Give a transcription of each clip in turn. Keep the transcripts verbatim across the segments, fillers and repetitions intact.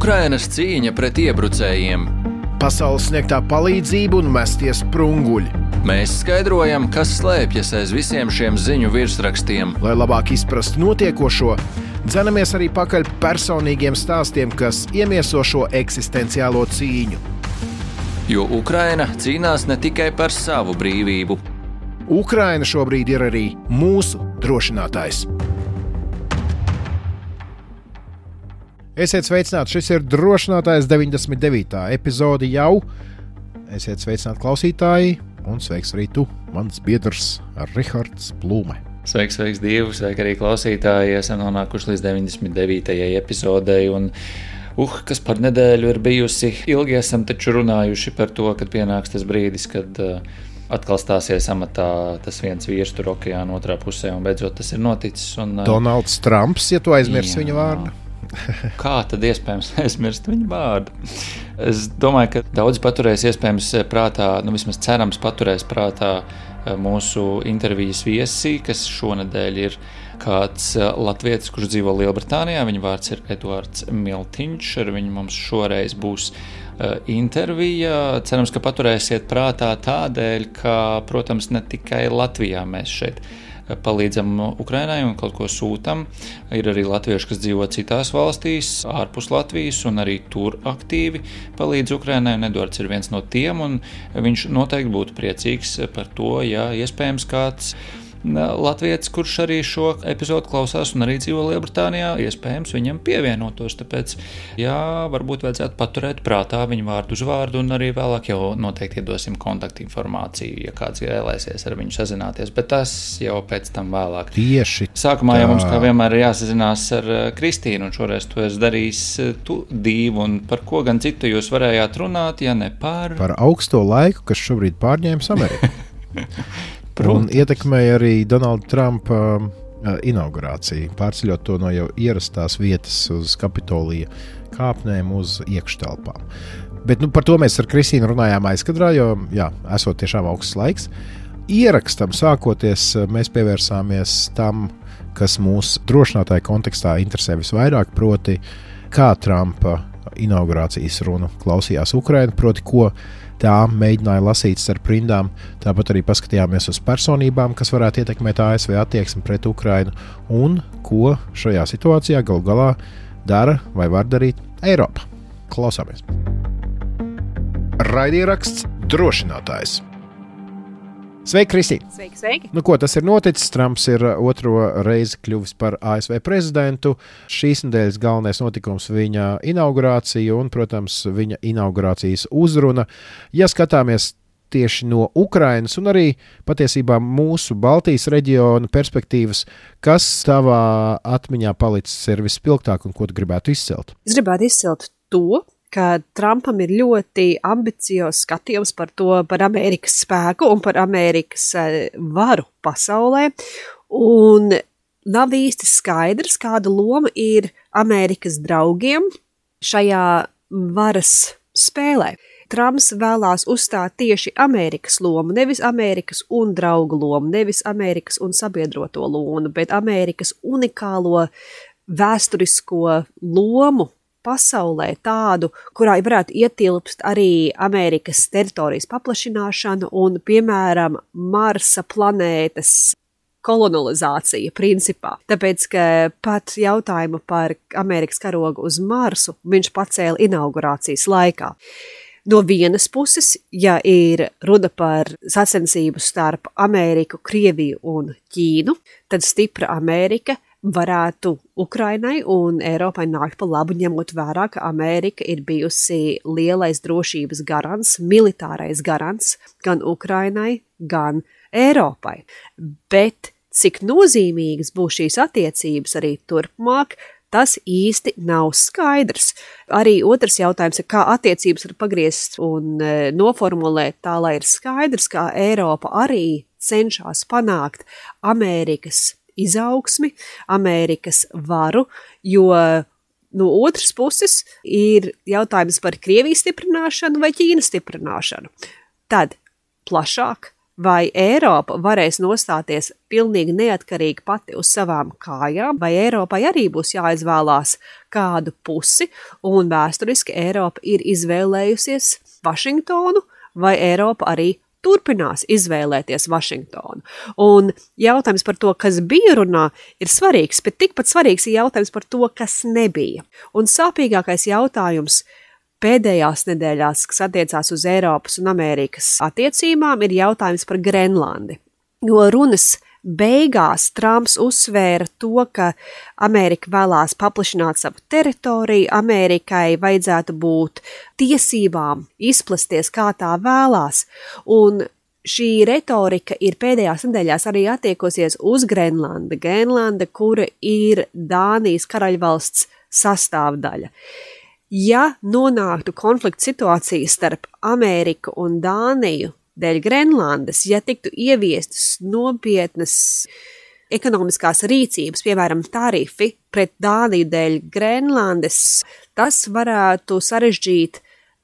Ukrainas cīņa pret iebrucējiem. Pasaules sniegtā palīdzība un mestie sprunguļi. Mēs skaidrojam, kas slēpjas aiz visiem šiem ziņu virsrakstiem. Lai labāk izprastu notiekošo, dzenamies arī pakaļ personīgiem stāstiem, kas iemieso šo eksistenciālo cīņu. Jo Ukraina cīnās ne tikai par savu brīvību. Ukraina šobrīd ir arī mūsu drošinātājs. Esiet sveicināti, šis ir drošinātājs deviņdesmit devītā epizode jau. Esiet sveicināti klausītāji un sveiks arī tu, mans biedrs Rihards Plūme. Sveiks, sveiks, Dievu, sveiki arī klausītāji. Esam nonākuši līdz deviņdesmit devītajai epizodei un uh, kas par nedēļu ir bijusi. Ilgi esam taču runājuši par to, kad pienāks tas brīdis, kad uh, atkal stāsies amatā tas viens vīrs tur okeāna otrā pusē un beidzot tas ir noticis. Un, uh, Donalds Trumps, ja tu aizmirsi viņa vārdu. Kā tad iespējams aizmirst viņa vārdu? Es domāju, ka daudzi paturēs iespējams prātā, nu vismaz cerams paturēs prātā mūsu intervijas viesi, kas šonedēļ ir kāds latvietis, kurš dzīvo Lielbritānijā. Viņa vārds ir Eduards Miltiņš, ar viņu mums šoreiz būs intervija. Cerams, ka paturēsiet prātā tādēļ, ka, protams, ne tikai Latvijā mēs šeit palīdzam Ukrainai un kaut ko sūtam. Ir arī latvieši, kas dzīvo citās valstīs, ārpus Latvijas, un arī tur aktīvi palīdz Ukrainai, un Eduards ir viens no tiem, un viņš noteikti būtu priecīgs par to, ja iespējams kāds latvietis, kurš arī šo epizodu klausās un arī dzīvo Lielbritānijā, iespējams viņam pievienotos, tāpēc, jā, varbūt vajadzētu paturēt prātā viņu vārdu uzvārdu, un arī vēlāk jau noteikti iedosim kontaktinformāciju, ja kāds vēlēsies ar viņu sazināties, bet tas jau pēc tam vēlāk. Tieši Sākumā tā. Jau mums kā vienmēr ir jāsazinās ar Kristīnu, un šoreiz tu esi darījis tu divu, un par ko gan citu jūs varējāt runāt, ja ne par... Par augsto laiku, kas šobrīd pārņēmis Ameriku. Protams. Un ietekmēja arī Donalda Trumpa uh, inaugurāciju, pārceļot to no jau ierastās vietas uz Kapitolija kāpnēm uz iekštelpām. Bet nu, par to mēs ar Kristīnu runājām aizkadrā, jo, jā, esot tiešām augsts laiks. Ierakstam sākoties, mēs pievērsāmies tam, kas mūs drošinātāja kontekstā interesē visvairāk, proti, kā Trumpa inaugurācijas runu klausījās Ukraina, proti, ko tā mēģināja lasīt starp rindām. Tāpat arī paskatījāmies uz personībām, kas varētu ietekmēt A S V attieksmi pret Ukrainu un ko šajā situācijā galu galā dara vai var darīt Eiropa. Klausāmies. Raidieraksts drošinātājs. Sveiki, Kristīna! Sveiki, sveiki! Nu, ko tas ir noticis? Trumps ir otro reizi kļuvis par A S V prezidentu. Šīs nedēļas galvenais notikums viņa inaugurācija un, protams, viņa inaugurācijas uzruna. Ja skatāmies tieši no Ukrainas un arī patiesībā mūsu Baltijas reģiona perspektīvas, kas tavā atmiņā palicis ir vispilgtāk un ko tu gribētu izcelt? Es gribētu izcelt to, ka Trumpam ir ļoti ambiciozs skatījums par to, par Amerikas spēku un par Amerikas varu pasaulē, un nav īsti skaidrs, kāda loma ir Amerikas draugiem šajā varas spēlē. Trumps vēlās uzstāt tieši Amerikas lomu, nevis Amerikas un draugu lomu, nevis Amerikas un sabiedroto lomu, bet Amerikas unikālo vēsturisko lomu pasaulē tādu, kurā varētu ietilpst arī Amerikas teritorijas paplašināšana un, piemēram, Marsa planētas kolonizācija principā. Tāpēc, ka pat jautājumu par Amerikas karogu uz Marsu viņš pacēla inaugurācijas laikā. No vienas puses, ja ir runa par sacensību starp Ameriku, Krieviju un Ķīnu, tad stipra Amerika varētu Ukrainai un Eiropai nākt pa labu, ņemot vērā, ka Amerika ir bijusi lielais drošības garants, militārais garants gan Ukrainai, gan Eiropai. Bet cik nozīmīgas būs šīs attiecības arī turpmāk, tas īsti nav skaidrs. Arī otrs jautājums ir, kā attiecības var pagriezt un noformulēt tā, lai ir skaidrs, kā Eiropa arī cenšas panākt Amerikas izaugsmi, Amerikas varu, jo no otras puses ir jautājums par Krievijas stiprināšanu vai Ķīnas stiprināšanu. Tad plašāk vai Eiropa varēs nostāties pilnīgi neatkarīgi pati uz savām kājām, vai Eiropai arī būs jāizvēlās kādu pusi, un vēsturiski Eiropa ir izvēlējusies Vašingtonu, vai Eiropa arī turpinās izvēlēties Vašingtonu. Un jautājums par to, kas bija runā, ir svarīgs, bet tikpat svarīgs ir jautājums par to, kas nebija. Un sāpīgākais jautājums pēdējās nedēļās, kas attiecās uz Eiropas un Amerikas attiecībām, ir jautājums par Grenlandi. Jo runas beigās Trumps uzsvēra to, ka Amerika vēlās paplašināt savu teritoriju, Amerikai vajadzētu būt tiesībām izplasties, kā tā vēlās, un šī retorika ir pēdējās nedēļās arī attiekosies uz Grenlandi. Grenlanda, kura ir Dānijas karaļvalsts sastāvdaļa. Ja nonāktu konflikta situācija starp Ameriku un Dāniju dēļ Grenlandes, ja tiktu ieviestas nopietnas ekonomiskās rīcības, piemēram, tarifi pret Dāniju dēļ Grenlandes, tas varētu sarežģīt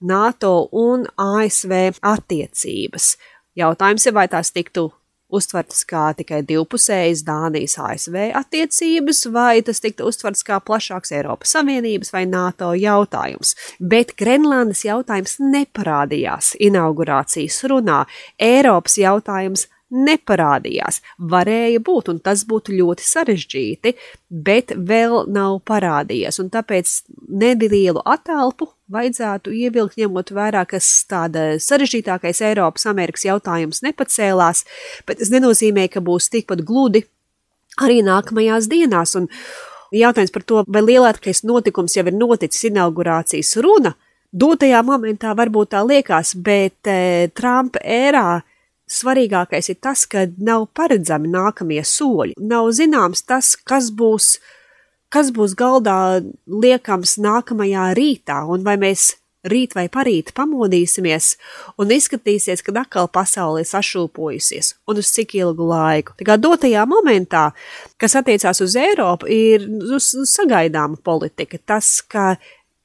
NATO un A S V attiecības. Jautājums ir, vai tās tiktu uztvertas kā tikai divpusējas Dānijas A S V attiecības, vai tas tiktu uztverts kā plašāks Eiropas Savienības vai NATO jautājums. Bet Grenlandes jautājums neparādījās inaugurācijas runā. Eiropas jautājums neparādījās. Varēja būt, un tas būtu ļoti sarežģīti, bet vēl nav parādījies. Un tāpēc nelielu atelpu vajadzētu ievilkt, ņemot vērā, kas tāda sarežģītākais Eiropas Amerikas jautājums nepacēlās, bet tas nenozīmē, ka būs tikpat gludi arī nākamajās dienās. Un jautājums par to, vai lielākais notikums jau ir noticis inaugurācijas runa, dotajā momentā varbūt tā liekas, bet e, Trumpa ērā svarīgākais ir tas, ka nav paredzami nākamie soļi. Nav zināms tas, kas būs, kas būs galdā liekams nākamajā rītā, un vai mēs rīt vai parīt pamodīsimies un izskatīsies, kad atkal pasaule ir sašūpojusies, un uz cik ilgu laiku. Tā kā dotajā momentā, kas attiecās uz Eiropu, ir uz sagaidāma politika. Tas, ka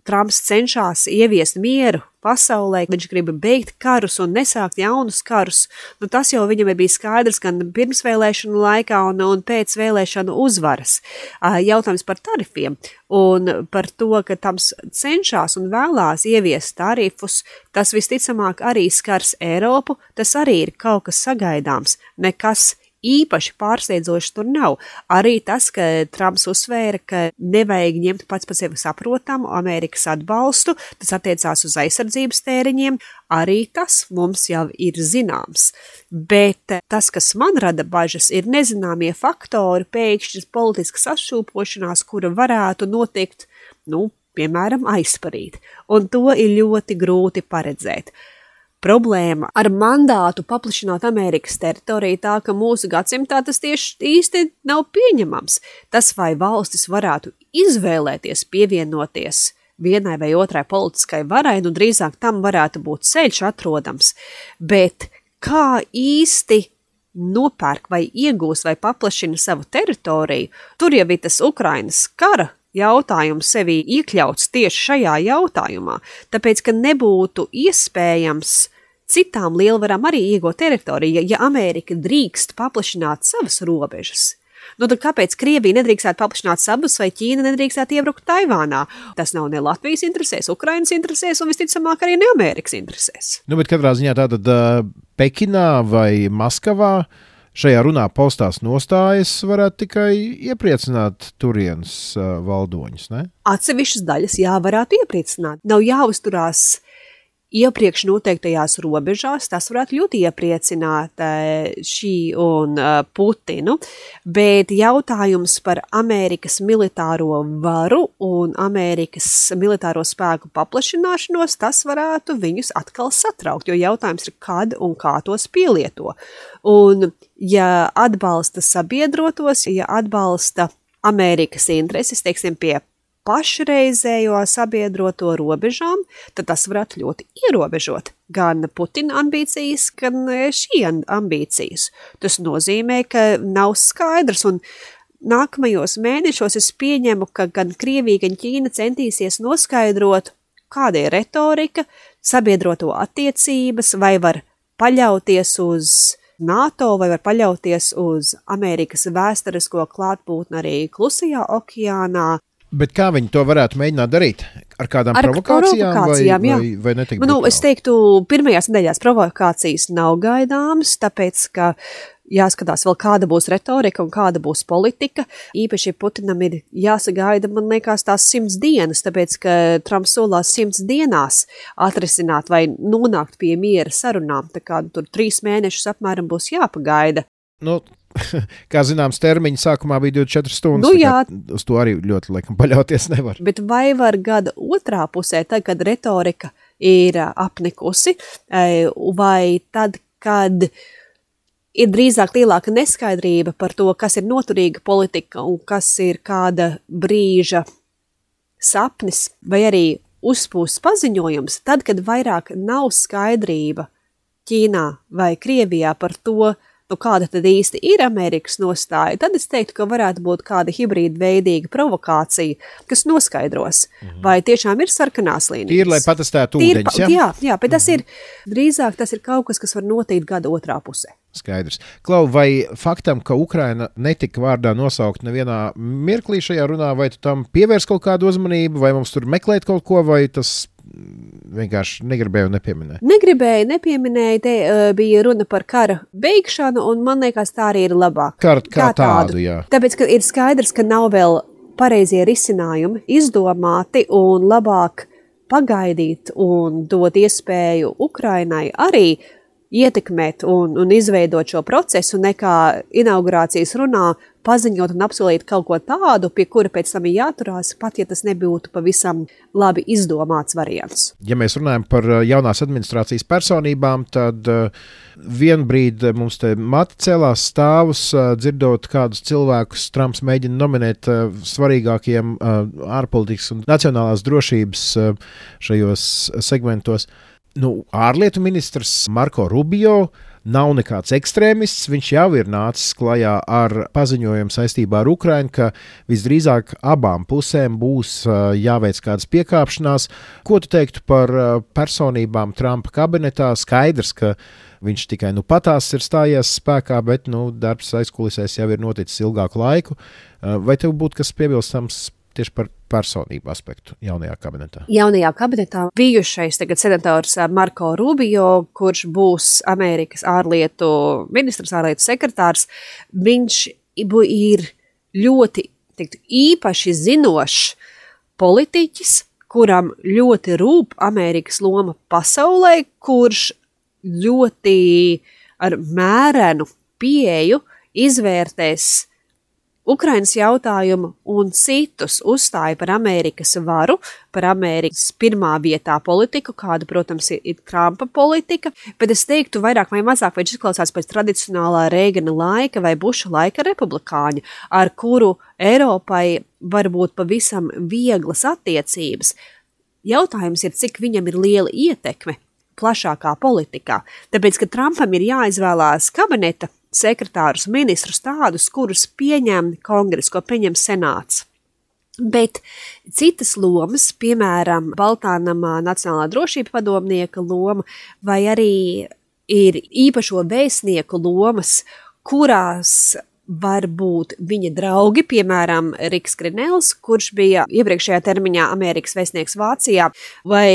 Trumps cenšas ieviest mieru pasaulē, viņš grib beigt karus un nesākt jaunus karus, nu tas jau viņam bija skaidrs gan pirmsvēlēšanu laikā un, un pēc vēlēšanu uzvaras. Jautājums par tarifiem un par to, ka Trumps cenšas un vēlās ieviest tarifus, tas visticamāk arī skars Eiropu, tas arī ir kaut kas sagaidāms, nekas īpaši pārsteidzoši tur nav. Arī tas, ka Trumps uzsvēra, ka nevajag ņemt pats par sevi saprotamu Amerikas atbalstu, tas attiecās uz aizsardzības tēriņiem, arī tas mums jau ir zināms. Bet tas, kas man rada bažas, ir nezināmie faktori, pēkšņas politiskas atšūpošanās, kura varētu notikt, nu, piemēram, aizparīt. Un to ir ļoti grūti paredzēt. Problēma ar mandātu paplašināt Amerikas teritoriju tā, ka mūsu gadsimtā tas tieši īsti nav pieņemams. Tas, vai valstis varētu izvēlēties pievienoties vienai vai otrai politiskai varai, nu drīzāk tam varētu būt ceļš atrodams, bet kā īsti nopērk vai iegūs vai paplašina savu teritoriju, tur jau ir tas Ukrainas kara jautājums sevi iekļauts tieši šajā jautājumā, tāpēc, ka nebūtu iespējams citām lielvarām arī iegūt teritoriju, ja Amerika drīkst paplašināt savas robežas. Nu, tad kāpēc Krievija nedrīkstētu paplašināt savas vai Ķīna nedrīkstētu iebrukt Taivānā? Tas nav ne Latvijas interesēs, Ukrainas interesēs un visticamāk arī ne Amerikas interesēs. Nu, bet katrā ziņā tātad uh, Pekinā vai Maskavā šajā runā paustās nostājas varētu tikai iepriecināt turienes uh, valdoņus, ne? Atsevišķas daļas jā, varētu iepriecināt. Nav jāuzturās iepriekš noteiktajās robežās, tas varētu ļoti iepriecināt šī un Putinu, bet jautājums par Amerikas militāro varu un Amerikas militāro spēku paplašināšanos, tas varētu viņus atkal satraukt, jo jautājums ir, kad un kā tos pielieto. Un ja atbalsta sabiedrotos, ja atbalsta Amerikas intereses, teiksim, pie pašreizējo sabiedroto robežām, tad tas varētu ļoti ierobežot gan Putina ambīcijas, gan šī ambīcijas. Tas nozīmē, ka nav skaidrs, un nākamajos mēnešos es pieņemu, ka gan Krievija, gan Ķīna centīsies noskaidrot, kāda ir retorika, sabiedroto attiecības, vai var paļauties uz NATO vai var paļauties uz Amerikas vēsturisko klātbūtni arī Klusajā okeānā. Bet kā viņi to varētu mēģināt darīt? Ar kādām Ar provokācijām, provokācijām vai, jā. vai, vai netik Nu, brutāli? es teiktu, pirmajās nedēļās provokācijas nav gaidāmas, tāpēc, ka jāskatās vēl kāda būs retorika un kāda būs politika. Īpaši Putinam ir jāsagaida, man liekas, tās simts dienas, tāpēc, ka Trumps solās simts dienās atrisināt vai nonākt pie miera sarunām. Tā kā tur trīs mēnešus apmēram būs jāpagaida. Nu, kā zināms, termiņi sākumā bija divdesmit četras stundas. Nu, jā. Uz to arī ļoti laikam paļauties nevar. Bet vai var gada otrā pusē, tad, kad retorika ir apnikusi, vai tad, kad ir drīzāk lielāka neskaidrība par to, kas ir noturīga politika un kas ir kāda brīža sapnis, vai arī uzpūsts paziņojums, tad, kad vairāk nav skaidrība Ķīnā vai Krievijā par to, nu, kāda tad īsti ir Amerikas nostāja, tad es teiktu, ka varētu būt kāda hibrīda veidīga provokācija, kas noskaidros, mm-hmm. vai tiešām ir sarkanās līnijas. Tīri, lai patestētu Tīri, ūdeņus, ja? Jā, jā, bet tas mm-hmm. ir, drīzāk tas ir kaut kas, kas var notikt gada otrā pusē. Skaidrs. Klau, vai faktam, ka Ukraina netika vārdā nosaukt nevienā mirklī šajā runā, vai tu tam pievērs kaut kādu uzmanību, vai mums tur meklēt kaut ko, vai tas vienkārši negribēju nepieminēt? Negribēju, nepieminēju, te uh, bija runa par kara beigšanu, un man liekas, tā arī ir labāk. Kā, kā, kā tādu, jā. Tāpēc, ka ir skaidrs, ka nav vēl pareizie risinājumi izdomāti, un labāk pagaidīt un dot iespēju Ukrainai arī ietekmēt un, un izveidot šo procesu, nekā inaugurācijas runā paziņot un apsolīt kaut ko tādu, pie kura pēc tam ir jāturās, pat ja tas nebūtu pavisam labi izdomāts variants. Ja mēs runājam par jaunās administrācijas personībām, tad vienbrīd mums te mati celās stāvus, dzirdot kādus cilvēkus Trumps mēģina nominēt svarīgākiem ārpolitikas un nacionālās drošības šajos segmentos. Nu, ārlietu ministrs Marko Rubio nav nekāds ekstrēmists, viņš jau ir nācis klajā ar paziņojumu saistībā ar Ukrainu, ka visdrīzāk abām pusēm būs jāveic kādas piekāpšanās. Ko tu teiktu par personībām Trumpa kabinetā? Skaidrs, ka viņš tikai nu patās ir stājies spēkā, bet nu, darbs aizkulisēs jau ir noticis ilgāku laiku. Vai tev būtu kas piebilstams tieši par personību aspektu jaunajā kabinetā? Jaunajā kabinetā bijušais tagad senators Marko Rubio, kurš būs Amerikas ārlietu ministrs, ārlietu sekretārs, viņš ir ļoti teikt, īpaši zinošs politiķis, kuram ļoti rūp Amerikas loma pasaulē, kurš ļoti ar mērenu pieeju izvērtēs Ukrainas jautājumu un citus uzstāja par Amerikas varu, par Amerikas pirmā vietā politiku, kāda, protams, ir, ir Trumpa politika, bet es teiktu vairāk vai mazāk, vai viņš izklausās pēc tradicionālā Reigana laika vai Buša laika republikāņa, ar kuru Eiropai var būt pavisam vieglas attiecības. Jautājums ir, cik viņam ir liela ietekme plašākā politikā, tāpēc, ka Trumpam ir jāizvēlās kabineta sekretārus, ministrus tādus, kurus pieņem kongres, ko pieņem senāts. Bet citas lomas, piemēram, Baltānamā Nacionālā drošība padomnieka loma, vai arī ir īpašo vēstnieku lomas, kurās var būt viņa draugi, piemēram, Riks Grenells, kurš bija iepriekšējā termiņā Amerikas vēstnieks Vācijā, vai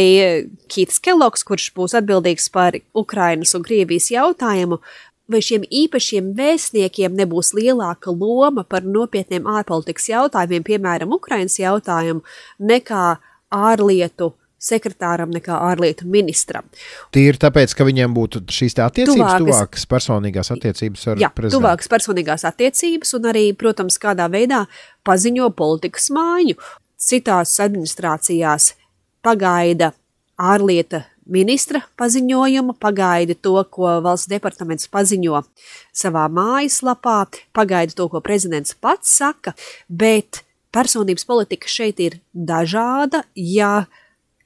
Kīts Kellogs, kurš būs atbildīgs par Ukrainas un Krievijas jautājumu, vai šiem īpašiem vēstniekiem nebūs lielāka loma par nopietniem ārpolitikas jautājumiem, piemēram, Ukrainas jautājumu, nekā ārlietu sekretāram, nekā ārlietu ministram. Tīri tāpēc, ka viņiem būtu šīs tā attiecības, Tuvākas, tuvākas personīgās attiecības ar jā, prezidentu. Tuvākas personīgās attiecības un arī, protams, kādā veidā paziņo politikas maiņu. Citās administrācijās pagaida ārlieta ministra paziņojumu, pagaida to, ko valsts departaments paziņo savā mājaslapā, pagaida to, ko prezidents pats saka, bet personības politika šeit ir dažāda. Ja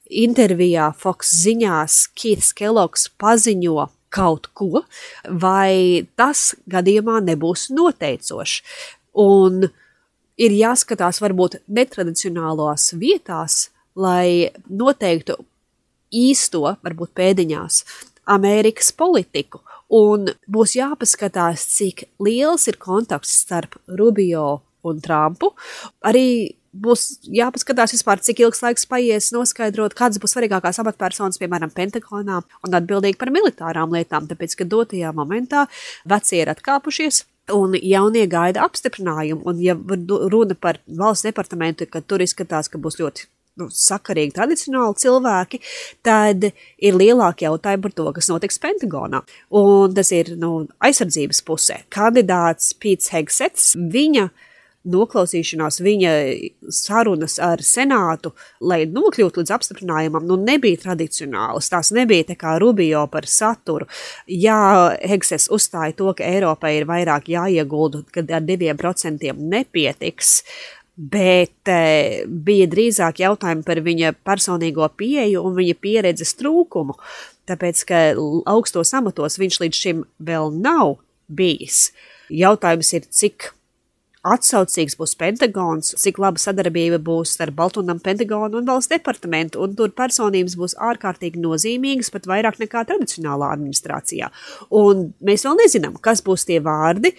intervijā Fox ziņās Kīts Kellogs paziņo kaut ko, vai tas gadījumā nebūs noteicošs. Un ir jāskatās varbūt netradicionālās vietās, lai noteiktu īsto, varbūt pēdiņās, Amerikas politiku. Un būs jāpaskatās, cik liels ir kontakts starp Rubio un Trumpu. Arī būs jāpaskatās vispār, cik ilgs laiks paies noskaidrot, kādas būs svarīgākās amatpersonas, piemēram, Pentagonā un atbildīgi par militārām lietām, tāpēc, ka dotajā momentā vecie ir atkāpušies un jaunie gaida apstiprinājumu. Un ja runa par valsts departamentu, kad tur izskatās, ka būs ļoti nu, sakarīgi tradicionāli cilvēki, tad ir lielāki jautājumi par to, kas notiks Pentagonā. Un tas ir nu, aizsardzības pusē. Kandidāts Pīts Hegsets, viņa noklausīšanās, viņa sarunas ar Senātu, lai nokļūtu līdz apstiprinājumam, nu nebija tradicionālas, tās nebija tā kā Rubio par saturu. Jā, Hegsets uzstāja to, ka Eiropai ir vairāk jāiegulda, kad ar diviem procentiem nepietiks, bet e, bija drīzāk jautājumi par viņa personīgo pieeju un viņa pieredzes trūkumu, tāpēc, ka augstos amatos viņš līdz šim vēl nav bijis. Jautājums ir, cik atsaucīgs būs Pentagons, cik laba sadarbība būs ar Baltūnam, Pentagonu un valsts departamentu, un tur personības būs ārkārtīgi nozīmīgas, pat vairāk nekā tradicionālā administrācijā. Un mēs vēl nezinām, kas būs tie vārdi,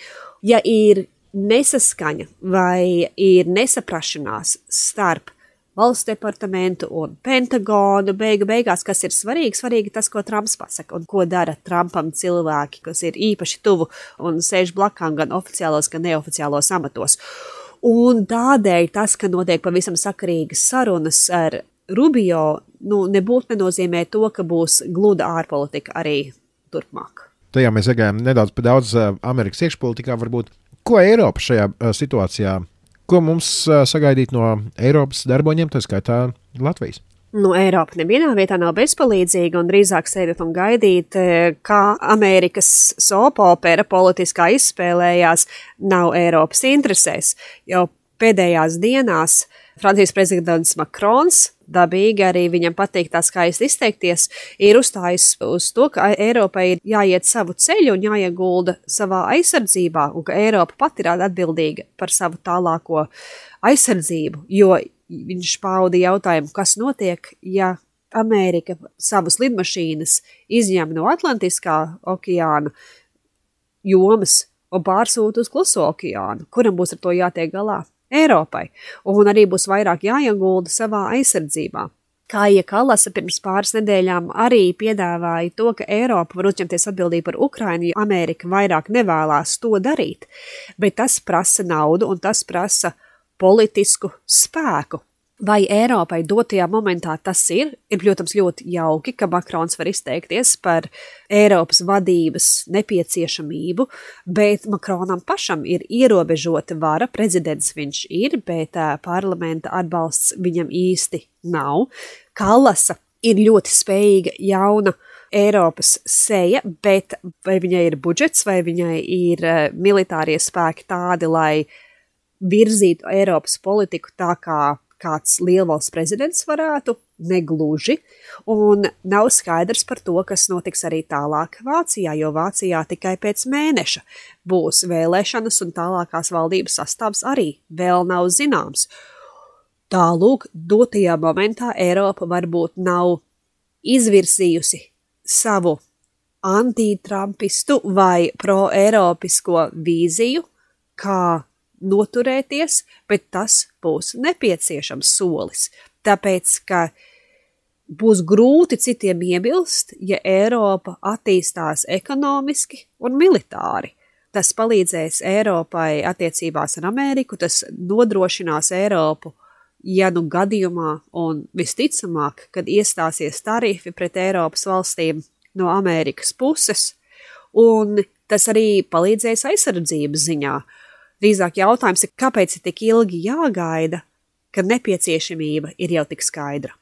ja ir nesaskaņa vai ir nesaprašanās starp valsts departamentu un Pentagonu, beigu beigās, kas ir svarīgi, svarīgi tas, ko Trumps pasaka un ko dara Trumpam cilvēki, kas ir īpaši tuvu un sēž blakām gan oficiālos, gan neoficiālos amatos. Un tādēļ tas, ka notiek pavisam sakarīgas sarunas ar Rubio, nu, nebūtu nenozīmē to, ka būs gluda ārpolitika arī turpmāk. Tajā mēs iegājām nedaudz par daudz Amerikas iekšpolitikā varbūt. Ko Eiropa šajā situācijā? Ko mums sagaidīt no Eiropas darboņiem, tā skaitā Latvijas? Nu, Eiropa nevienā vietā nav bezpalīdzīga un drīzāk sēdēt un gaidīt, kā Amerikas soapopera politiskā izspēlējās, nav Eiropas interesēs. Jau pēdējās dienās Francijas prezidents Makrons, dabīgi arī viņam patīk tā skaisti izteikties, ir uzstājis uz to, ka Eiropai ir jāiet savu ceļu un jāiegulda savā aizsardzībā, un ka Eiropa pati ir atbildīga par savu tālāko aizsardzību, jo viņš pauda jautājumu, kas notiek, ja Amerika savus lidmašīnas izņem no Atlantiskā okeāna jomas un pārsūta uz Kluso okeānu, kuram būs ar to jātiek galā? Eiropai, un arī būs vairāk jāiegulda savā aizsardzībā. Kaija Kallasa pirms pāris nedēļām arī piedāvāja to, ka Eiropa var uzņemties atbildību par Ukrainu, ja Amerika vairāk nevēlās to darīt, bet tas prasa naudu un tas prasa politisku spēku. Vai Eiropai dotajā momentā tas ir? Ir, protams, ļoti jauki, ka Makrons var izteikties par Eiropas vadības nepieciešamību, bet Makronam pašam ir ierobežota vara, prezidents viņš ir, bet uh, parlamenta atbalsts viņam īsti nav. Kallasa ir ļoti spējīga jauna Eiropas seja, bet vai viņai ir budžets, vai viņai ir uh, militārie spēki tādi, lai virzītu Eiropas politiku tā kā kāds lielvalsts prezidents varētu, negluži, un nav skaidrs par to, kas notiks arī tālāk Vācijā, jo Vācijā tikai pēc mēneša būs vēlēšanas un tālākās valdības sastāvs arī vēl nav zināms. Tālūk, dotajā momentā Eiropa varbūt nav izvirsījusi savu antitrampistu vai pro-eiropisko vīziju, kā noturēties, bet tas būs nepieciešams solis, tāpēc, ka būs grūti citiem iebilst, ja Eiropa attīstās ekonomiski un militāri. Tas palīdzēs Eiropai attiecībās ar Ameriku, tas nodrošinās Eiropu, ja nu gadījumā un visticamāk, kad iestāsies tarifi pret Eiropas valstīm no Amerikas puses, un tas arī palīdzēs aizsardzības ziņā. Drīzāk jautājums ir, kāpēc ir tik ilgi jāgaida, kad nepieciešamība ir jau tik skaidra.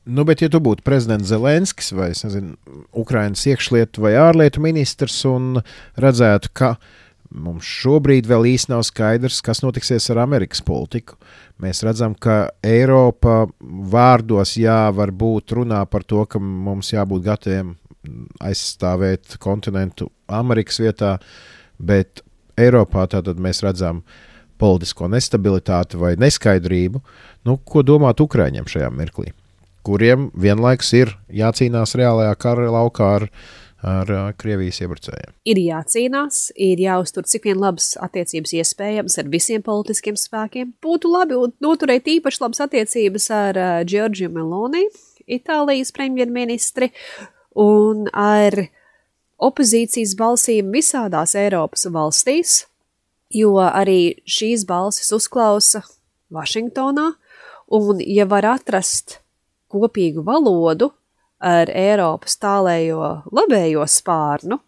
Nu, bet ja tu būtu prezidents Zelenskis vai, es nezinu, Ukrainas iekšlietu vai ārlietu ministrs un redzētu, ka mums šobrīd vēl īsti nav skaidrs, kas notiksies ar Amerikas politiku. Mēs redzam, ka Eiropa vārdos jā, varbūt runā par to, ka mums jābūt gataviem aizstāvēt kontinentu Amerikas vietā, bet Eiropā tātad mēs redzam politisko nestabilitāti vai neskaidrību. Nu, ko domāt Ukraiņiem šajā mirklī, kuriem vienlaikus ir jācīnās reālajā kara laukā ar ar uh, Krievijas iebrucējiem. Ir jācīnās, ir jāuztur cik vien labas attiecības iespējams ar visiem politiskiem spēkiem. Būtu labi noturēt īpaši labas attiecības ar uh, Giorgio Meloni, Itālijas premjerministri, un ar opozīcijas balsīm visādās Eiropas valstīs, jo arī šīs balsis uzklausa Vašingtonā, un ja var atrast kopīgu valodu ar Eiropas tālējo labējo spārnu,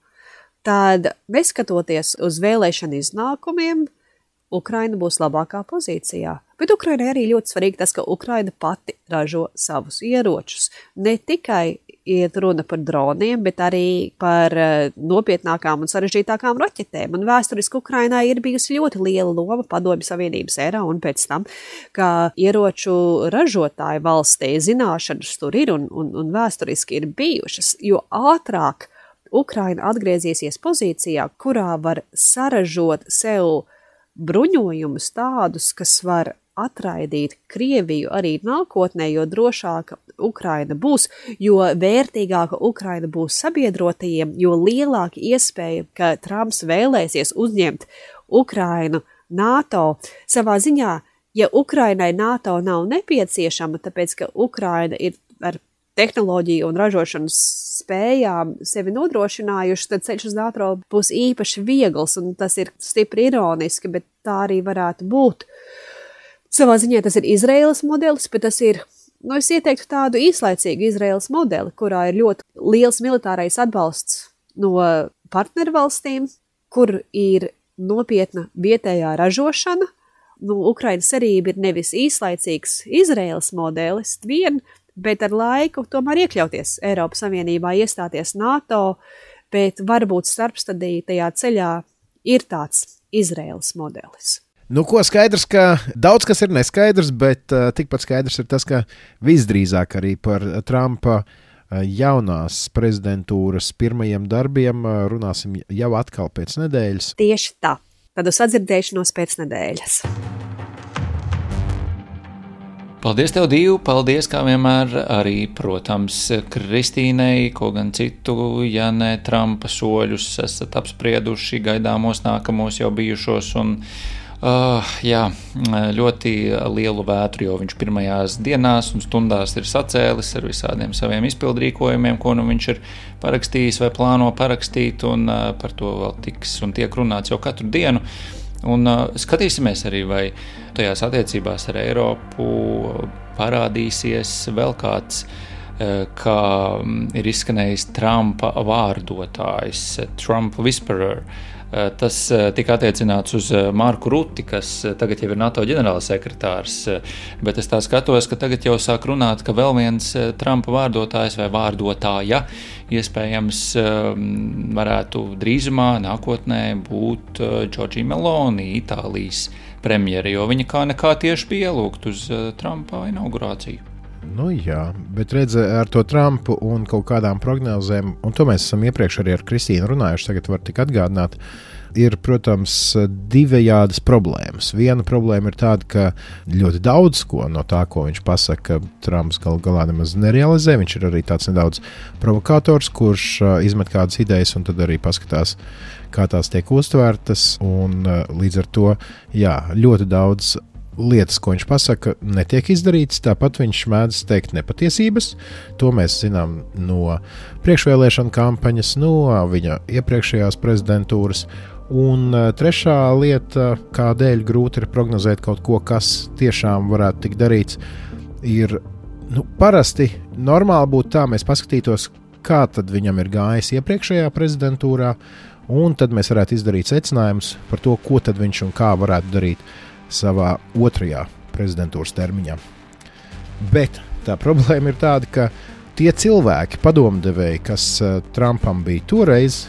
tad, neskatoties uz vēlēšanu iznākumiem, Ukraina būs labākā pozīcijā. Bet Ukrainai arī ļoti svarīgi tas, ka Ukraina pati ražo savus ieročus. Ne tikai iet runa par droniem, bet arī par nopietnākām un sarežģītākām raķetēm. Un vēsturiski Ukrainai ir bijusi ļoti liela loma Padomju Savienības erā un pēc tam, ka ieroču ražotāju valstī zināšanas tur ir un, un, un vēsturiski ir bijušas, jo ātrāk Ukraina atgriezīsies pozīcijā, kurā var saražot sev bruņojumus tādus, kas var atraidīt Krieviju arī nākotnē, jo drošāka Ukraina būs, jo vērtīgāka Ukraina būs sabiedrotajiem, jo lielāka iespēja, ka Trumps vēlēsies uzņemt Ukrainu NATO. Savā ziņā, ja Ukrainai NATO nav nepieciešama, tāpēc, ka Ukraina ir ar tehnoloģiju un ražošanas spējām sevi nodrošinājuši, tad ceļš uz NATO būs īpaši viegls, un tas ir stipri ironiski, bet tā arī varētu būt. Savā ziņā tas ir Izraēlas modelis, bet tas ir, nu es ieteiktu tādu īslaicīgu Izraēlas modeli, kurā ir ļoti liels militārais atbalsts no partnervalstīm, kur ir nopietna vietējā ražošana. Nu, Ukrainas cerība ir nevis īslaicīgs Izraēlas modelis vien, bet ar laiku tomēr iekļauties Eiropas Savienībā, iestāties NATO, bet varbūt starpstadī tajā ceļā ir tāds Izraēlas modelis. Nu, ko skaidrs, ka daudz kas ir neskaidrs, bet uh, tikpat skaidrs ir tas, ka visdrīzāk arī par Trumpa uh, jaunās prezidentūras pirmajiem darbiem uh, runāsim jau atkal pēc nedēļas. Tieši tā. Tad uz sadzirdēšanos pēc nedēļas. Paldies tev, Dīvu, paldies kā vienmēr arī, protams, Kristīnei, ko gan citu, ja ne Trumpa soļus esat apsprieduši gaidāmos nākamos jau bijušos un uh, jā, ļoti lielu vētru, jo viņš pirmajās dienās un stundās ir sacēlis ar visādiem saviem izpildrīkojumiem, ko nu viņš ir parakstījis vai plāno parakstīt, un uh, par to vēl tiks un tiek runāts jau katru dienu. Un uh, skatīsimies arī, vai tajās attiecībās ar Eiropu parādīsies vēl kāds, uh, kā ir izskanējis Trumpa vārdotājs, Trump Whisperer. Uh, tas uh, tika attiecināts uz uh, Marku Ruti, kas uh, tagad jau ir NATO ģenerālsekretārs, uh, bet es tā skatos, ka tagad jau sāk runāt, ka vēl viens uh, Trumpa vārdotājs vai vārdotāja iespējams varētu drīzumā nākotnē būt Giorgia Meloni, Itālijas premjere, jo viņa kā nekā tieši bija ielūgt uz Trumpa inaugurāciju. Nu jā, bet redz, ar to Trumpu un kaut kādām prognozēm, un to mēs esam iepriekš arī ar Kristīnu runājuši, tagad var tik atgādināt, ir, protams, divējādas problēmas. Viena problēma ir tāda, ka ļoti daudz ko no tā, ko viņš pasaka, Trumps gal galā nemaz nerealizē. Viņš ir arī tāds nedaudz provokators, kurš izmet kādas idejas un tad arī paskatās, kā tās tiek uztvērtas. Un līdz ar to, jā, ļoti daudz lietas, ko viņš pasaka, netiek izdarītas. Tāpat viņš mēdz teikt nepatiesības. To mēs zinām no priekšvēlēšana kampaņas, no viņa iepriekšējās prezidentūras. Un trešā lieta, kādēļ grūti ir prognozēt kaut ko, kas tiešām varētu tikt darīts, ir, nu, parasti normāli būtu tā, mēs paskatītos, kā tad viņam ir gājis iepriekšējā prezidentūrā, un tad mēs varētu izdarīt secinājumus par to, ko tad viņš un kā varētu darīt savā otrajā prezidentūras termiņā. Bet tā problēma ir tāda, ka tie cilvēki, padomdevēji, kas Trumpam bija toreiz,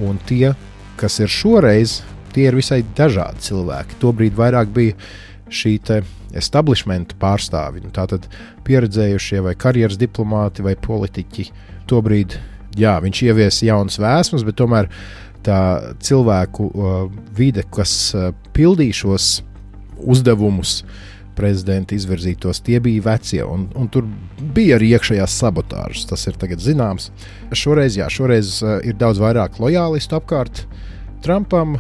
un tie, kas ir šoreiz, tie ir visai dažādi cilvēki. Tobrīd vairāk bija šī te establishmenta pārstāvi, tātad pieredzējušie vai karjeras diplomāti vai politiķi. Tobrīd, jā, viņš ievies jaunas vēsmas, bet tomēr tā cilvēku uh, vide, kas uh, pildīja šos uzdevumus prezidenta izvirzītos, tie bija vecie, un, un tur bija arī iekšējās sabotāžas, tas ir tagad zināms. Šoreiz, jā, šoreiz ir daudz vairāk lojālistu apkārt Trumpam,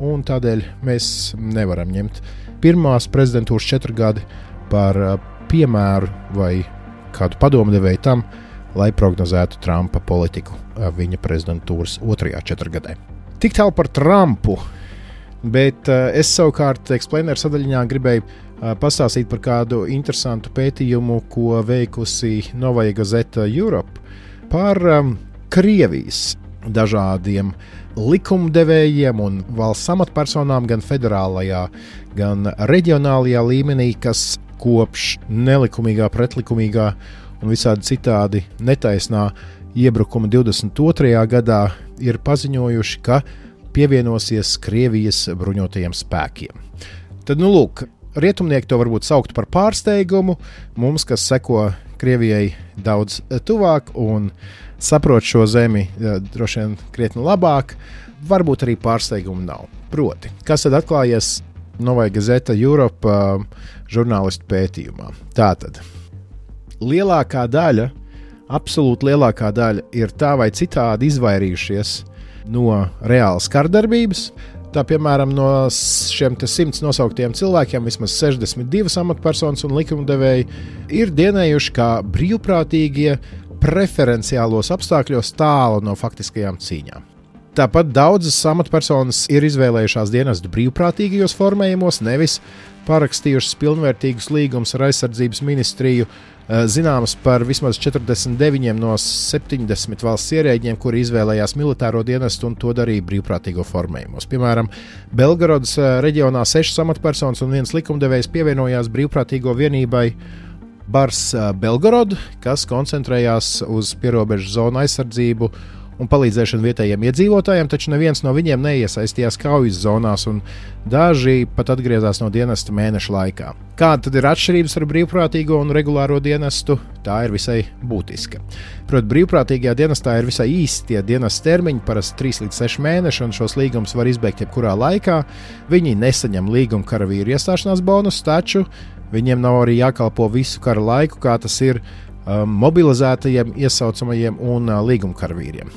un tādēļ mēs nevaram ņemt pirmās prezidentūras četru gadi par piemēru vai kādu padomdevēju tam, lai prognozētu Trumpa politiku viņa prezidentūras otrajā četrgadē. Tik tālu par Trumpu, bet es savukārt Explainer sadaļiņā gribēju pastāstīt par kādu interesantu pētījumu, ko veikusi Novaya Gazeta Europe par Krievijas dažādiem likumdevējiem un valsts amatpersonām gan federālajā, gan reģionālajā līmenī, kas kopš nelikumīgā, pretlikumīgā un visādi citādi netaisnā iebrukuma divdesmit otrajā gadā ir paziņojuši, ka pievienosies Krievijas bruņotajiem spēkiem. Tad, nu lūk, rietumnieki to varbūt saukt par pārsteigumu, mums, kas seko Krievijai daudz tuvāk un saprot šo zemi droši vien krietni labāk, varbūt arī pārsteigumu nav. Proti, kas tad atklājies Novaya Gazeta Europe uh, žurnālistu pētījumā? Tātad, lielākā daļa, absolūti lielākā daļa ir tā vai citādi izvairījušies no reālas kardarbības. Tā, piemēram, no šiem simts nosauktiem cilvēkiem vismaz sešdesmit divas amatpersonas un likumdevēji ir dienējuši kā brīvprātīgie preferenciālos apstākļos tālu no faktiskajām cīņām. Tāpat daudzas amatpersonas ir izvēlējušās dienestu brīvprātīgajos formējumos, nevis parakstījušas pilnvērtīgus līgumus ar aizsardzības ministriju. Zināms par vismaz četrdesmit deviņiem no septiņdesmit valsts ierēģiem, kuri izvēlējās militāro dienestu un to darīja brīvprātīgo formējumos. Piemēram, Belgorodas reģionā sešas amatpersonas un viens likumdevējs pievienojās brīvprātīgo vienībai Bars Belgorod, kas koncentrējās uz pierobežu zonu aizsardzību un palīdzēšanu vietējiem iedzīvotājiem, taču neviens no viņiem neiesaistījās kaujas zonās, un daži pat atgriezās no dienesta mēneša laikā. Kāda tad ir atšķirības ar brīvprātīgo un regulāro dienestu? Tā ir visai būtiska. Proti, brīvprātīgajā dienestā ir visai īsti tie dienesta termiņi, parasti trīs līdz seši mēneši, un šos līgumus var izbeigt jebkurā laikā. Viņi nesaņem līguma karavīru iestāšanās bonusu, taču viņiem nav arī jākalpo visu kara laiku, kā tas ir um, mobilizētajiem, iesaucamajiem un uh, līguma karavīriem.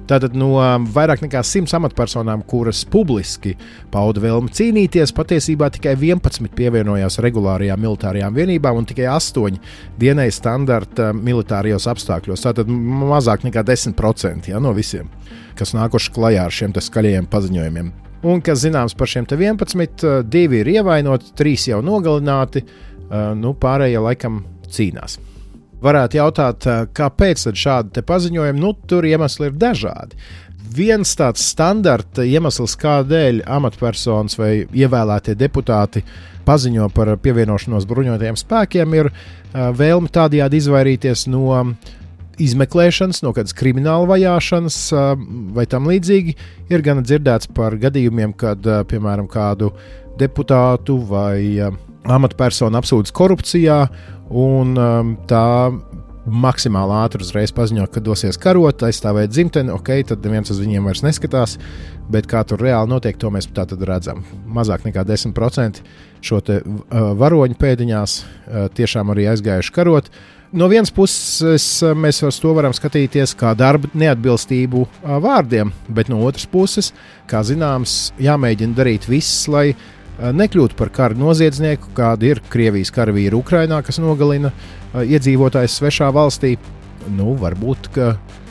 Tātad no vairāk nekā simts amatpersonām, kuras publiski pauda vēlmi cīnīties, patiesībā tikai vienpadsmit pievienojās regulārajām militārajām vienībām un tikai astoņi dienēja standarta militārajos apstākļos. Tātad mazāk nekā desmit procenti ja, no visiem, kas nākuši klajā ar šiem skaļajiem paziņojumiem. Un, kas zināms par šiem vienpadsmit, divi ir ievainoti, trīs jau nogalināti, nu, pārējie laikam cīnās. Varētu jautāt, kāpēc tad šādi paziņojumi? Nu, tur iemesli ir dažādi. Viens tāds standarta iemesls, kādēļ amatpersonas vai ievēlētie deputāti paziņo par pievienošanos bruņotajiem spēkiem, ir vēlme tādējādi izvairīties no izmeklēšanas, no kādas krimināla vajāšanas vai tam līdzīgi. Ir gan dzirdēts par gadījumiem, kad, piemēram, kādu deputātu vai amatpersonu apsūdz korupcijā, un um, tā maksimāli ātri uzreiz paziņo, ka dosies karot, aizstāvēt dzimteni, ok, tad neviens uz viņiem vairs neskatās, bet kā tur reāli notiek, to mēs tā tad redzam. Mazāk nekā desmit procenti šo te uh, varoņu pēdiņās uh, tiešām arī aizgājuši karot. No vienas puses mēs uz to varam skatīties kā darba neatbilstību uh, vārdiem, bet no otras puses, kā zināms, jāmēģina darīt viss, lai nekļūt par kara noziedznieku, kāda ir Krievijas karavīri Ukrainā, kas nogalina uh, iedzīvotājus svešā valstī. Nu, varbūt, ka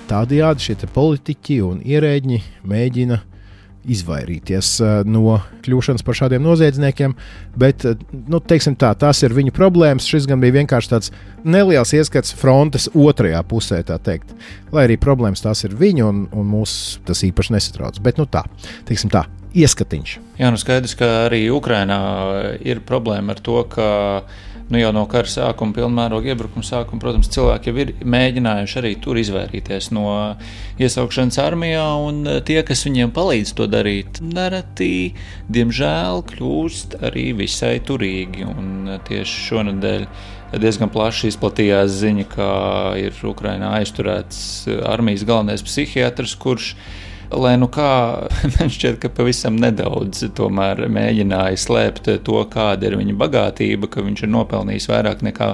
tādējādi šie politiķi un ierēģi mēģina izvairīties uh, no kļūšanas par šādiem noziedzniekiem, bet, uh, nu, teiksim tā, tās ir viņu problēmas. Šis gan bija vienkārši tāds neliels ieskats frontes otrajā pusē, tā teikt. Lai arī problēmas tās ir viņu, un, un mūs tas īpaši nesatrauc. Bet, nu tā, teiksim tā, ieskatiņš. Jā, nu skaidrs, ka arī Ukrainā ir problēma ar to, ka nu jau no kara sākuma, pilnmēroga iebrukuma sākuma, protams, cilvēki jau ir mēģinājuši arī tur izvairīties no iesaukšanas armijā, un tie, kas viņiem palīdz to darīt, nereti, diemžēl, kļūst arī visai turīgi. Un tieši šonadēļ diezgan plaši izplatījās ziņa, ka ir Ukrainā aizturēts armijas galvenais psihiatrs, kurš lai nu kā, man šķiet, ka pavisam nedaudz tomēr mēģināja slēpt to, kāda ir viņa bagātība, ka viņš ir nopelnījis vairāk nekā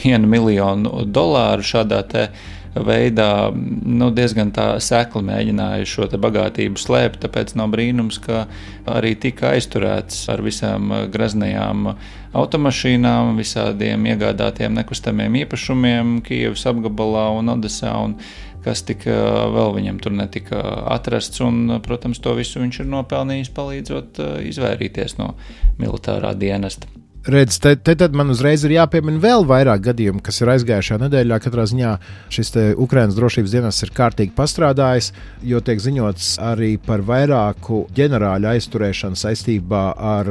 vienu miljonu dolāru šādā te veidā, nu, diezgan tā sekli mēģināja šo te bagātību slēpt, tāpēc nav brīnums, ka arī tika aizturēts ar visām graznajām automašīnām, visādiem iegādātiem nekustamiem īpašumiem Kijevas apgabalā un Odesā, un kas tika vēl viņam tur netika atrasts, un, protams, to visu viņš ir nopelnījis, palīdzot izvairīties no militārā dienesta. Redz, te, te tad man uzreiz ir jāpiemina vēl vairāk gadījumu, kas ir aizgājušajā nedēļā. Katrā ziņā šis te Ukrainas drošības dienests ir kārtīgi pastrādājis, jo tiek ziņots arī par vairāku ģenerāļu aizturēšanu saistībā ar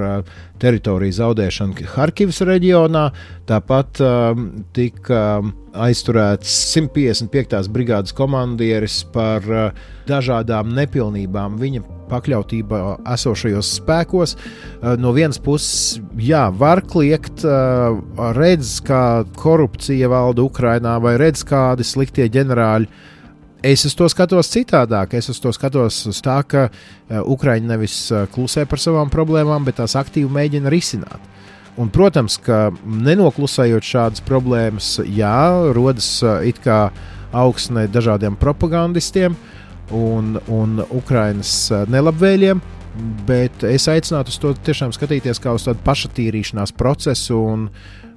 teritoriju zaudēšanu Harkivas reģionā. Tāpat um, tika aizturēts simt piecdesmit piektās brigādes komandieris par uh, dažādām nepilnībām viņa pakļautībā esošajos spēkos. No vienas puses, jā, var kliegt, redz, kā korupcija valda Ukrainā, vai redz, kādi sliktie ģenerāļi. Es uz to skatos citādāk. Es uz to skatos uz tā, ka Ukraiņi nevis klusē par savām problēmām, bet tās aktīvi mēģina risināt. Un, protams, ka nenoklusējot šādas problēmas, jā, rodas it kā augsne dažādiem propagandistiem un, un Ukrainas nelabvēļiem, bet es aicinātu uz to tiešām skatīties kā uz tādu pašatīrīšanās procesu. Un,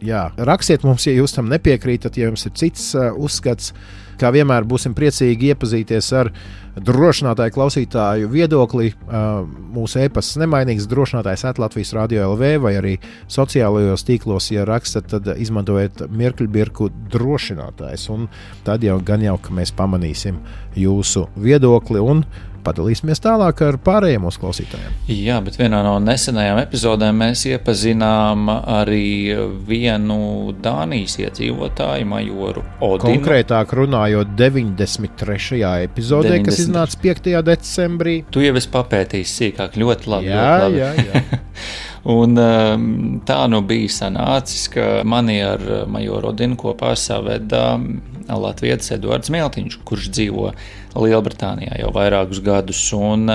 jā, rakstiet mums, ja jūs tam nepiekrītat, ja jums ir cits uh, uzskats. Kā vienmēr būsim priecīgi iepazīties ar drošinātāju klausītāju viedokli. Uh, mūsu e-pasts nemainīgs drošinātājs at Latvijas Radio L V vai arī sociālajos tīklos, ja rakstat, tad izmantojiet mirkļbirku drošinātājs. Un tad jau gan jau, ka mēs pamanīsim jūsu viedokli un padalīsimies tālāk ar pārējiem mūsu klausītājiem. Jā, bet vienā no nesenajām epizodēm mēs iepazinām arī vienu Dānijas iedzīvotāju, majoru Odinu. Konkrētāk runājot deviņdesmit trešajā epizodē, deviņdesmit kas iznāca piektajā decembrī. Tu jau esi papētījis sīkāk, ļoti labi. Jā, ļoti labi. jā, jā. Un tā nu bija sanācis, ka mani ar majoru Odinu kopā saveda latvietis Eduards Mieltiņš, kurš dzīvo Lielbritānijā jau vairākus gadus. Un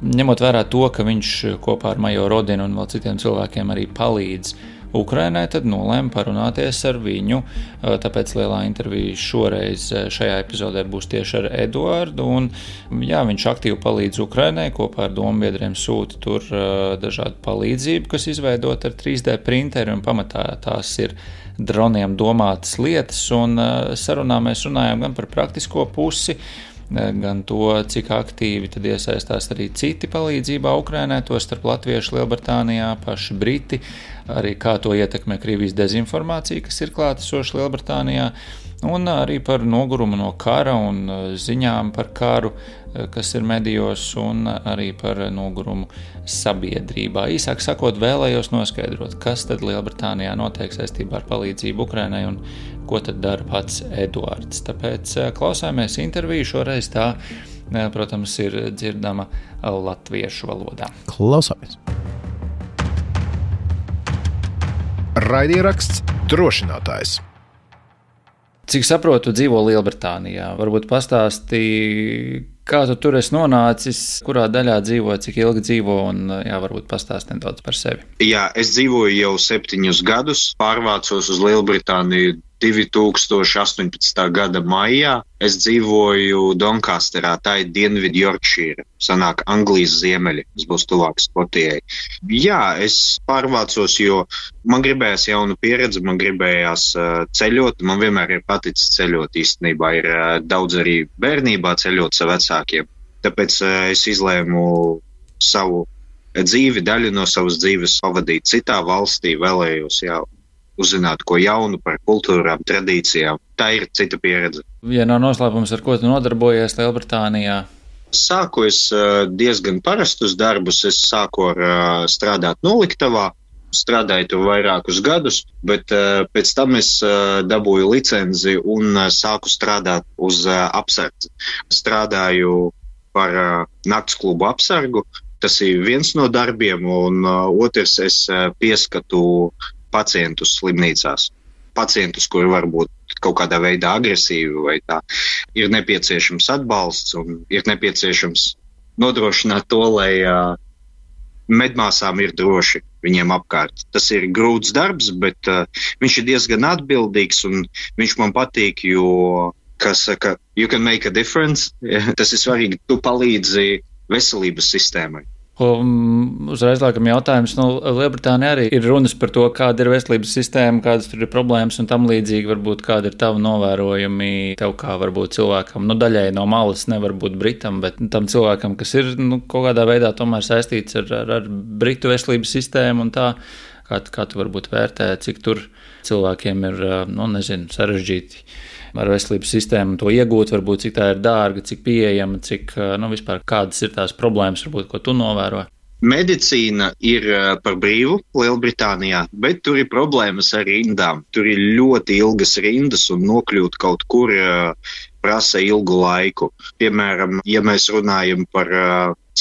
ņemot vērā to, ka viņš kopā ar majoru Odinu un vēl citiem cilvēkiem arī palīdz Ukrainai, tad nolēma parunāties ar viņu. Tāpēc lielā intervija šoreiz šajā epizodē būs tieši ar Eduardu. Un, jā, viņš aktīvi palīdz Ukrainai, kopā ar dombiedriem sūta tur dažādu palīdzību, kas izveidot ar trīs D printeri, un pamatā tās ir droniem domātas lietas. Un sarunā mēs runājām gan par praktisko pusi, gan to, cik aktīvi tad iesaistās arī citi palīdzībā Ukrainai, to starp latviešu Lielbritānijā, paši Briti, arī kā to ietekmē Krievijas dezinformācija, kas ir klātesoša Lielbritānijā, un arī par nogurumu no kara un ziņām par karu, kas ir medijos, un arī par nogurumu sabiedrībā. Īsāk sakot, vēlējos noskaidrot, kas tad Lielbritānijā notiek saistībā ar palīdzību Ukrainai un ko tad dara pats Eduards. Tāpēc klausāmies interviju, šoreiz tā, protams, ir dzirdama latviešu valodā. Klausāmies. Raidieraksts drošinātājs. Cik saprotu, dzīvo Lielbritānijā. Varbūt pastāstīja, kā tu tur esi nonācis, kurā daļā dzīvo, cik ilgi dzīvo, un jā, varbūt pastāsti nedaudz par sevi. Jā, es dzīvoju jau septiņus gadus, pārvācos uz Lielbritāniju divi tūkstoši astoņpadsmitā gada maijā. Es dzīvoju Doncasterā, tā ir Dienvidu Yorkshire, sanāk Anglijas ziemeļi, tas būs tuvāk Skotijai. Jā, es pārvācos, jo man gribējās jaunu pieredzi, man gribējās uh, ceļot, man vienmēr ir paticis ceļot īstenībā, ir uh, daudz arī bērnībā ceļot sa vecākiem, tāpēc uh, es izlēmu savu dzīvi, daļu no savas dzīves pavadīt citā valstī, vēlējos jau uzzināt ko jaunu par kultūrām, tradīcijām. Tā ir cita pieredze. Ja nav noslēpums, ar ko tu nodarbojies Lielbritānijā? Sāku es diezgan parastus darbus. Es sāku ar strādāt noliktavā, strādāju tur vairākus gadus, bet pēc tam es dabūju licenzi un sāku strādāt uz apsardzi. Strādāju par naktsklubu apsargu. Tas ir viens no darbiem, un otrs es pieskatu pacientus slimnīcās. Pacientus, kuri var būt kaut kādā veidā agresīvi vai tā. Ir nepieciešams atbalsts un ir nepieciešams nodrošināt to, lai uh, medmāsām ir droši viņiem apkārt. Tas ir grūts darbs, bet uh, viņš ir diezgan atbildīgs un viņš man patīk, jo, kā saka, you can make a difference. Tas ir svarīgi, tu palīdzi veselības sistēmai. Un uzreiz laikam jautājums, nu, Lielbritānija arī ir runas par to, kāda ir veselības sistēma, kādas tur ir problēmas un tam līdzīgi, varbūt kāda ir tava novērojumi tev kā varbūt cilvēkam, nu, daļai no malas nevar būt Britam, bet tam cilvēkam, kas ir, nu, kaut kādā veidā tomēr saistīts ar, ar, ar Britu veselības sistēmu un tā, kā, kā tu varbūt vērtē, cik tur cilvēkiem ir, nu, nezinu, sarežģīti ar veselības sistēmu to iegūt, varbūt cik tā ir dārga, cik pieejama, cik, nu, vispār kādas ir tās problēmas, varbūt, ko tu novēro? Medicīna ir par brīvu Lielbritānijā, bet tur ir problēmas ar rindām. Tur ir ļoti ilgas rindas un nokļūt kaut kur prasa ilgu laiku. Piemēram, ja mēs runājam par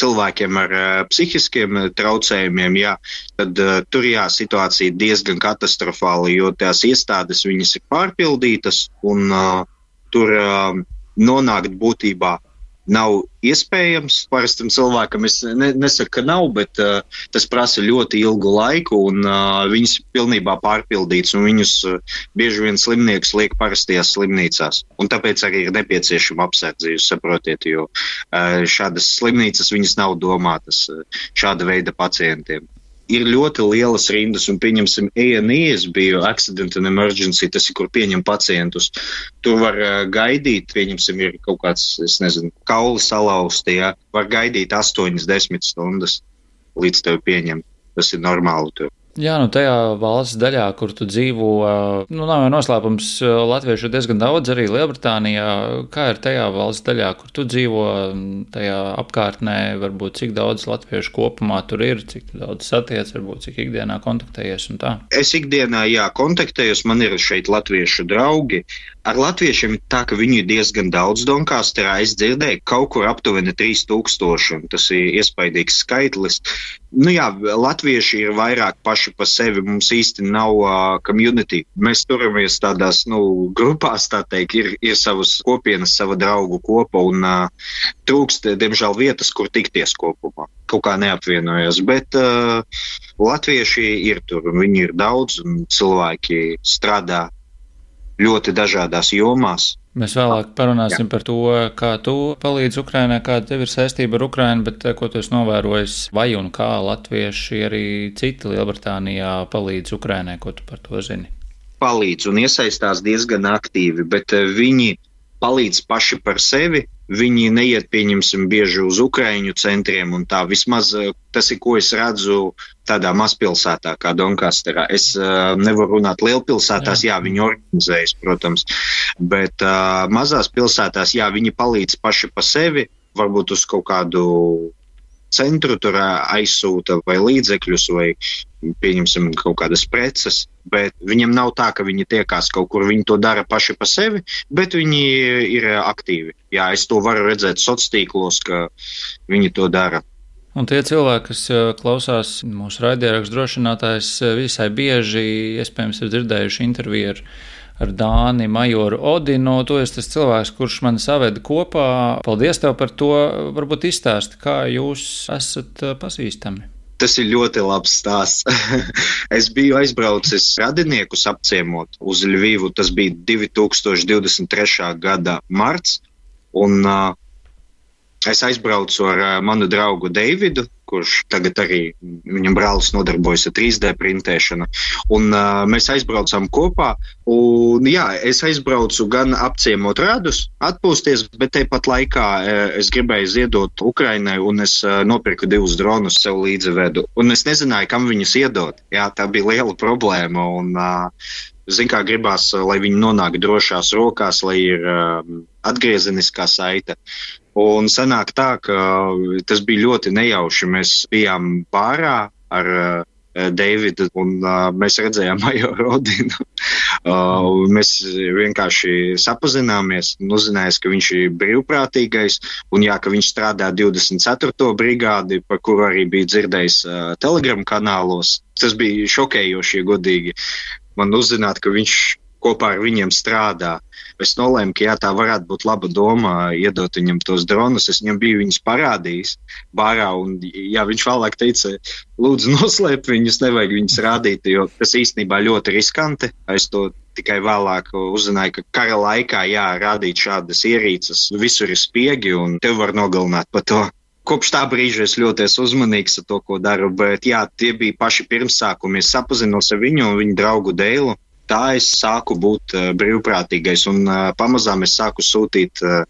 cilvēkiem ar uh, psihiskiem traucējumiem, jā, tad uh, tur jā, situācija diezgan katastrofāla, jo tās iestādes viņas ir pārpildītas un uh, tur uh, nonākt būtībā nav iespējams. Parastam cilvēkam es ne, nesaku, ka nav, bet uh, tas prasa ļoti ilgu laiku un uh, viņas pilnībā pārpildīts un viņus uh, bieži vien slimniekus liek parastajās slimnīcās. Un tāpēc arī ir nepieciešama apsardzība, saprotiet, jo uh, šādas slimnīcas viņas nav domātas uh, šāda veida pacientiem. Ir ļoti lielas rindas, un pieņemsim A and E, es biju Accident and Emergency, tas ir, kur pieņem pacientus. Tur var uh, gaidīt, pieņemsim, ir kaut kāds, es nezinu, kauli salauzti, jā, var gaidīt astoņas desmit stundas, līdz tevi pieņem. Tas ir normāli tur. Jā, nu tajā valsts daļā, kur tu dzīvo, nu nav jau noslēpums, latviešu ir diezgan daudz arī Lielbritānijā. Kā ir tajā valsts daļā, kur tu dzīvo, tajā apkārtnē, varbūt cik daudz latviešu kopumā tur ir, cik daudz satiec, varbūt cik ikdienā kontaktējies un tā? Es ikdienā, jā, kontaktējos, man ir šeit latviešu draugi. Ar latviešiem tā, ka viņu ir diezgan daudz Doncasterā, es dzirdēju kaut kur aptuveni trīs tūkstoši, un tas ir iespaidīgs skaitlis. Nu jā, latvieši ir vairāk paši pa sevi, mums īsti nav uh, community. Mēs turamies tādās, nu, grupās, tā teikt, ir, ir savas kopienas, sava draugu kopa, un uh, trūkst, diemžēl, vietas, kur tikties kopumā. Kaut kā neapvienojas, bet uh, latvieši ir tur, un viņi ir daudz, un cilvēki strādā ļoti dažādās jomās. Mēs vēlāk parunāsim Jā. par to, kā tu palīdzi Ukrainai, kāda tev ir saistība ar Ukrainu, bet ko tu esi novērojis, vai un kā latvieši arī citi Lielbritānijā palīdz Ukrainai, ko tu par to zini? Palīdz un iesaistās diezgan aktīvi, bet viņi palīdz paši par sevi. Viņi neiet, pieņemsim, bieži uz Ukraiņu centriem un tā. Vismaz tas ir, ko es redzu tādā mazpilsētā kā Doncasterā. Es uh, nevaru runāt lielpilsētās, jā, jā viņi organizējas, protams, bet uh, mazās pilsētās, jā, viņi palīdz paši pa sevi, varbūt uz kaut kādu centru tur aizsūta vai līdzekļus vai, pieņemsim, kaut kādas preces, bet viņiem nav tā, ka viņi tiekās kaut kur, viņi to dara paši pa sevi, bet viņi ir aktīvi. Jā, es to varu redzēt sociālos tīklos, ka viņi to dara. Un tie cilvēki, kas klausās mūsu raidierakstu drošinātājs, visai bieži, iespējams, ir dzirdējuši interviju ar ar Dāni Majoru Odinu. Tu esi tas cilvēks, kurš mani saveda kopā. Paldies tev par to. Varbūt izstāsti, kā jūs esat pazīstami. Tas ir ļoti labs stāsts. Es biju aizbraucis radiniekus apciemot uz Ļvivu. Tas bija divi tūkstoši divdesmit trešā gada marts. Un uh, es aizbraucu ar uh, manu draugu Deividu, kurš tagad arī viņam brālis nodarbojas ar trīs D printēšanu. Un uh, mēs aizbraucām kopā. Un jā, es aizbraucu gan apciemot radus, atpūsties, bet tepat laikā uh, es gribēju ziedot Ukrainai un es uh, nopirku divus dronus sev līdzi vedu. Un es nezināju, kam viņus iedot. Jā, tā bija liela problēma. Un, uh, zin kā gribās, lai viņi nonāk drošās rokās, lai ir uh, atgriezeniskā saite. Un sanāk tā, ka tas bija ļoti nejauši. Mēs bijām bārā ar uh, Deividu un uh, mēs redzējām Majoru Odinu. uh, mēs vienkārši sapazināmies un uzzinājās, ka viņš ir brīvprātīgais un jā, ka viņš strādā divdesmit ceturto brigādi, par kuru arī bija dzirdējis uh, Telegram kanālos. Tas bija šokējoši, godīgi. Man uzzināt, ka viņš kopā ar viņiem strādā. Es nolēmu, ka jā, tā varētu būt laba doma iedot viņam tos dronus. Es viņam biju viņus parādījis bārā, un jā, viņš vēlāk teica, lūdzu noslēp viņus, nevajag viņus rādīt, jo tas īstenībā ļoti riskanti. Es to tikai vēlāk uzzināju, ka kara laikā, jā, rādīt šādas ierīces, visur ir spiegi, un tev var nogalināt par to. Kopš tā brīža es ļoti esmu uzmanīgs ar to, ko daru, bet jā, tie bija paši pirmsākumi. Es sapazinos ar viņu un viņu draugu Deilu. Tā es sāku būt uh, brīvprātīgais, un uh, pamazām es sāku sūtīt uh,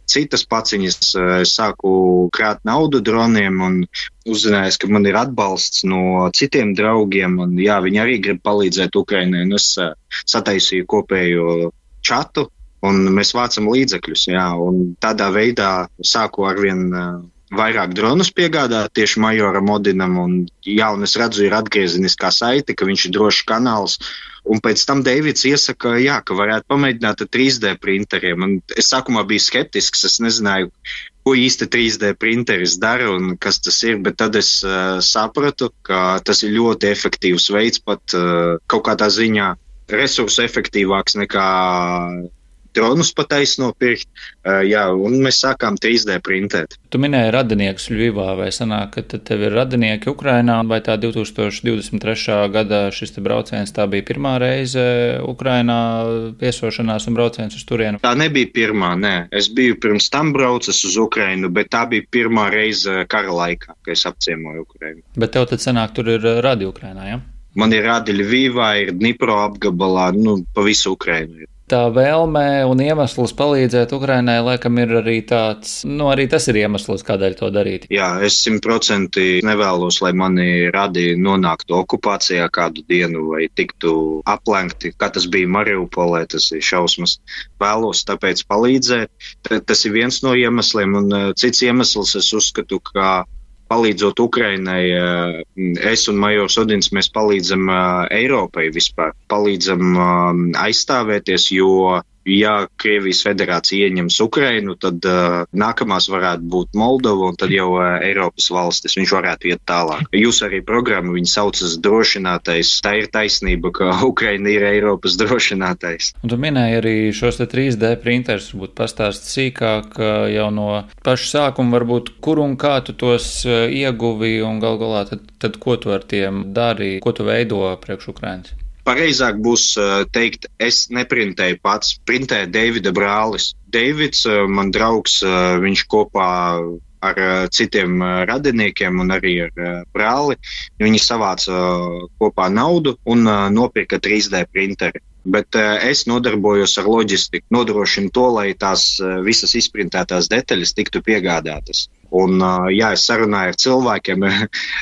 citas paciņas, uh, es sāku krāt naudu droniem un uzzināju, ka man ir atbalsts no citiem draugiem, un jā, viņi arī grib palīdzēt Ukrainai, un es uh, sataisīju kopējo čatu, un mēs vācam līdzekļus, jā, un tādā veidā sāku arvien uh, vairāk dronus piegādāt tieši majoram Odinam, un jā, un es redzu, ir atgriezeniskā saite, ka viņš ir drošs kanāls. Un pēc tam Deivids iesaka, jā, ka varētu pamēģināt ar trīs D printeriem. Un es sākumā biju skeptisks, es nezināju, ko īsti trīs D printeris dara un kas tas ir, bet tad es uh, sapratu, ka tas ir ļoti efektīvs veids, pat uh, kaut kādā ziņā resursu efektīvāks nekā dronus pataisno pirkt, uh, jā, un mēs sākām trīs D printēt. Tu minēji radiniekus Ļuvivā, vai sanāk, ka tev ir radinieki Ukrainā, vai tā divi tūkstoši divdesmit trešā gada šis te brauciens, tā bija pirmā reize Ukrainā viesošanās un brauciens uz turienu? Tā nebija pirmā, nē. Es biju pirms tam braucis uz Ukrainu, bet tā bija pirmā reize kara laikā, kad es apciemoju Ukrainu. Bet tev tad sanāk, tur ir radi Ukrainā, ja? Man ir radi Ļuvivā, ir Dnipro apgabalā, nu, pa visu Ukrainu ir. Tā vēlme un iemesls palīdzēt Ukrainai, laikam, ir arī tāds, nu, arī tas ir iemesls, kādēļ to darīt. Jā, es simtprocentīgi nevēlos, lai mani radi nonāktu okupācijā kādu dienu vai tiktu aplenkti, kā tas bija Mariupolē, tas ir šausmas. Vēlos tāpēc palīdzēt. Tas ir viens no iemesliem, un cits iemesls es uzskatu, ka palīdzot Ukrainai, es un majors Odins, mēs palīdzam Eiropai vispār, palīdzam aizstāvēties, jo, ja Krievijas federācija ieņems Ukrainu, tad uh, nākamās varētu būt Moldova un tad jau uh, Eiropas valstis, viņš varētu iet tālāk. Jūs arī programmu, viņi saucas drošinātais, tā ir taisnība, ka Ukraina ir Eiropas drošinātais. Un tu minēji arī šos te trīs D printers, varbūt pastāst sīkāk jau no paša sākuma, varbūt kur un kā tu tos ieguvi un gal galā tad, tad ko tu ar tiem dari, ko tu veido priekš Ukrainas? Pareizāk būs teikt, es neprintēju pats, printēja Deivida brālis. Deivids, man draugs, viņš kopā ar citiem radiniekiem un arī ar brāli, viņi savāca kopā naudu un nopirka trīs D printeri. Bet es nodarbojos ar loģistiku, nodrošinu to, lai tās visas izprintētās detaļas tiktu piegādātas. Un, jā, es sarunāju ar cilvēkiem,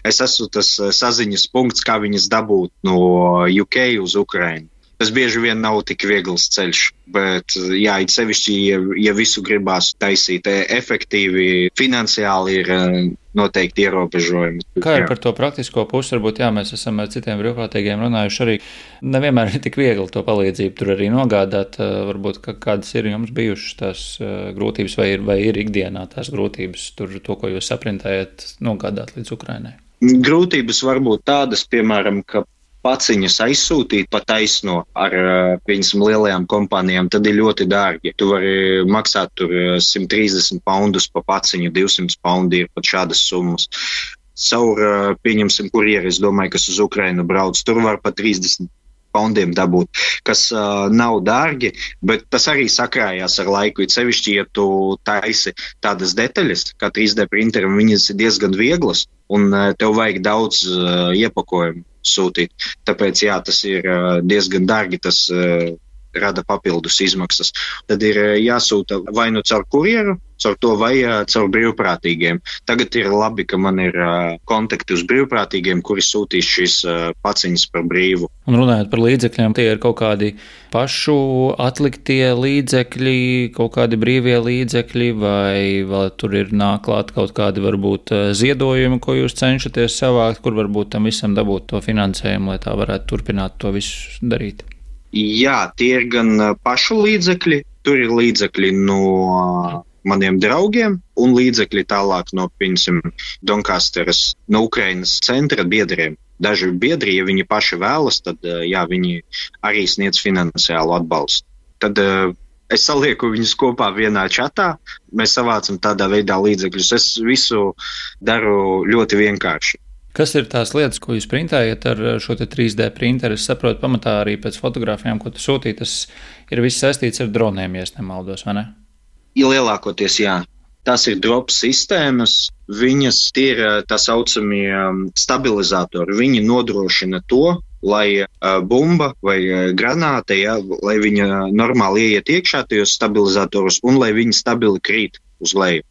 es esmu tas saziņas punkts, kā viņas dabūt no U K uz Ukrainu. Tas bieži vien nav tik viegls ceļš, bet, jā, it sevišķi, ja, ja visu gribās taisīt efektīvi, finansiāli ir noteikti ierobežojumi. Kā ir par to praktisko pusi? Varbūt, jā, mēs esam ar citiem brīvprātīgiem runājuši arī. Nevienmēr ir tik viegli to palīdzību tur arī nogādāt. Varbūt, kādas ir jums bijušas tās grūtības vai ir, vai ir ikdienā tās grūtības tur, to, ko jūs saprintējat, nogādāt līdz Ukrainai? Grūtības var būt tādas, piemēram, ka paciņas aizsūtīt pa taisno ar, piemēram, lielajām kompānijām, tad ir ļoti dārgi. Tu vari maksāt tur simt trīsdesmit poundus pa paciņu, divsimt poundi ir pat šādas summas. Caur, pieņemsim, kurjeri, es domāju, kas uz Ukrainu brauc, tur var pa trīsdesmit poundiem dabūt, kas uh, nav dārgi, bet tas arī sakrājās ar laiku. It sevišķi, ja tu taisi tādas detaļas, kā trīs D printeram, viņas ir diezgan vieglas, un uh, tev vajag daudz uh, iepakojumu sūtīt. Tāpēc, jā, tas ir uh, diezgan dārgi, tas uh, rada papildus izmaksas. Tad ir uh, jāsūta vai nu caur kurjeru, caur to vai uh, caur brīvprātīgiem. Tagad ir labi, ka man ir uh, kontakti uz brīvprātīgiem, kuri sūtīs šīs uh, paciņas par brīvu. Un runājot par līdzekļiem, tie ir kaut kādi pašu atliktie līdzekļi, kaut kādi brīvie līdzekļi, vai vēl tur ir nāk klāt kaut kādi varbūt ziedojumi, ko jūs cenšaties savākt, kur varbūt tam visam dabūt to finansējumu, lai tā varētu turpināt to visu darīt? Jā, tie ir gan pašu līdzekļi, tur ir līdzekļi no maniem draugiem un līdzekļi tālāk no, piemēram, Doncasteras, no Ukrainas centra biedriem. daži biedri, ja viņi paši vēlas, tad jā, viņi arī sniedz finansiālu atbalstu. Tad es salieku viņus kopā vienā čatā, mēs savācam tādā veidā līdzekļus. Es visu daru ļoti vienkārši. Kas ir tās lietas, ko jūs printējat ar šo te trīs D printeru? Es saprotu, pamatā arī pēc fotogrāfijām, ko tu sūtīji, tas ir viss saistīts ar droniem, ja es nemaldos, vai ne? Ja lielākoties, jā. Tas ir drop sistēmas, viņas ir tā saucamie stabilizatori. Viņi nodrošina to, lai bumba vai granāta, ja, lai viņa normāli ieiet iekšā tajos stabilizatorus un lai viņi stabili krīt uz leju.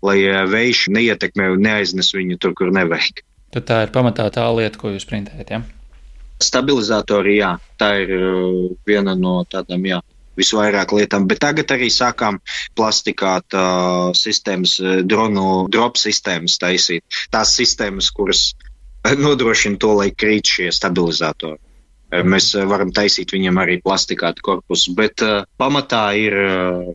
Lai vējš neietekmē un neaiznes viņu tur, kur nevajag. Tad tā ir pamatā tā lieta, ko jūs printējat, ja? Stabilizatori, jā. Tā ir viena no tādām, jā, visvairāk lietām. Bet tagad arī sākām plastikāt uh, sistēmas, dronu drop sistēmas taisīt. Tās sistēmas, kuras nodrošina to, lai krīt šie stabilizatori. Mēs varam taisīt viņam arī plastikātu korpusu, bet uh, pamatā ir uh,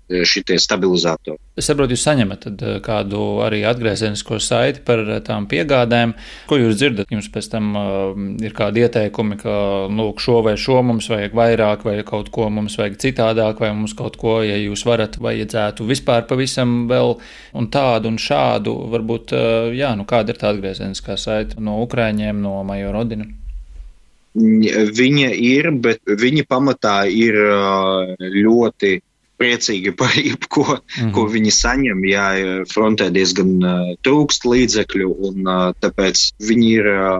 šitie stabilizatori. Es saprotu, jūs saņemat tad kādu arī atgriezenisko saiti par tām piegādēm. Ko jūs dzirdat? Jums pēc tam uh, ir kādi ieteikumi, ka lūk, šo vai šo mums vajag vairāk, vai kaut ko mums vajag citādāk, vai mums kaut ko, ja jūs varat, vajadzētu vispār pavisam vēl un tādu un šādu. Varbūt, uh, jā, nu kāda ir tā atgriezeniskā saita no Ukraiņiem, no Majora Odina? Viņa ir, bet viņa pamatā ir uh, ļoti priecīgi par jebko, mm-hmm. ko viņi saņem, ja frontē diezgan uh, trūkst līdzekļu, un uh, tāpēc viņi ir uh,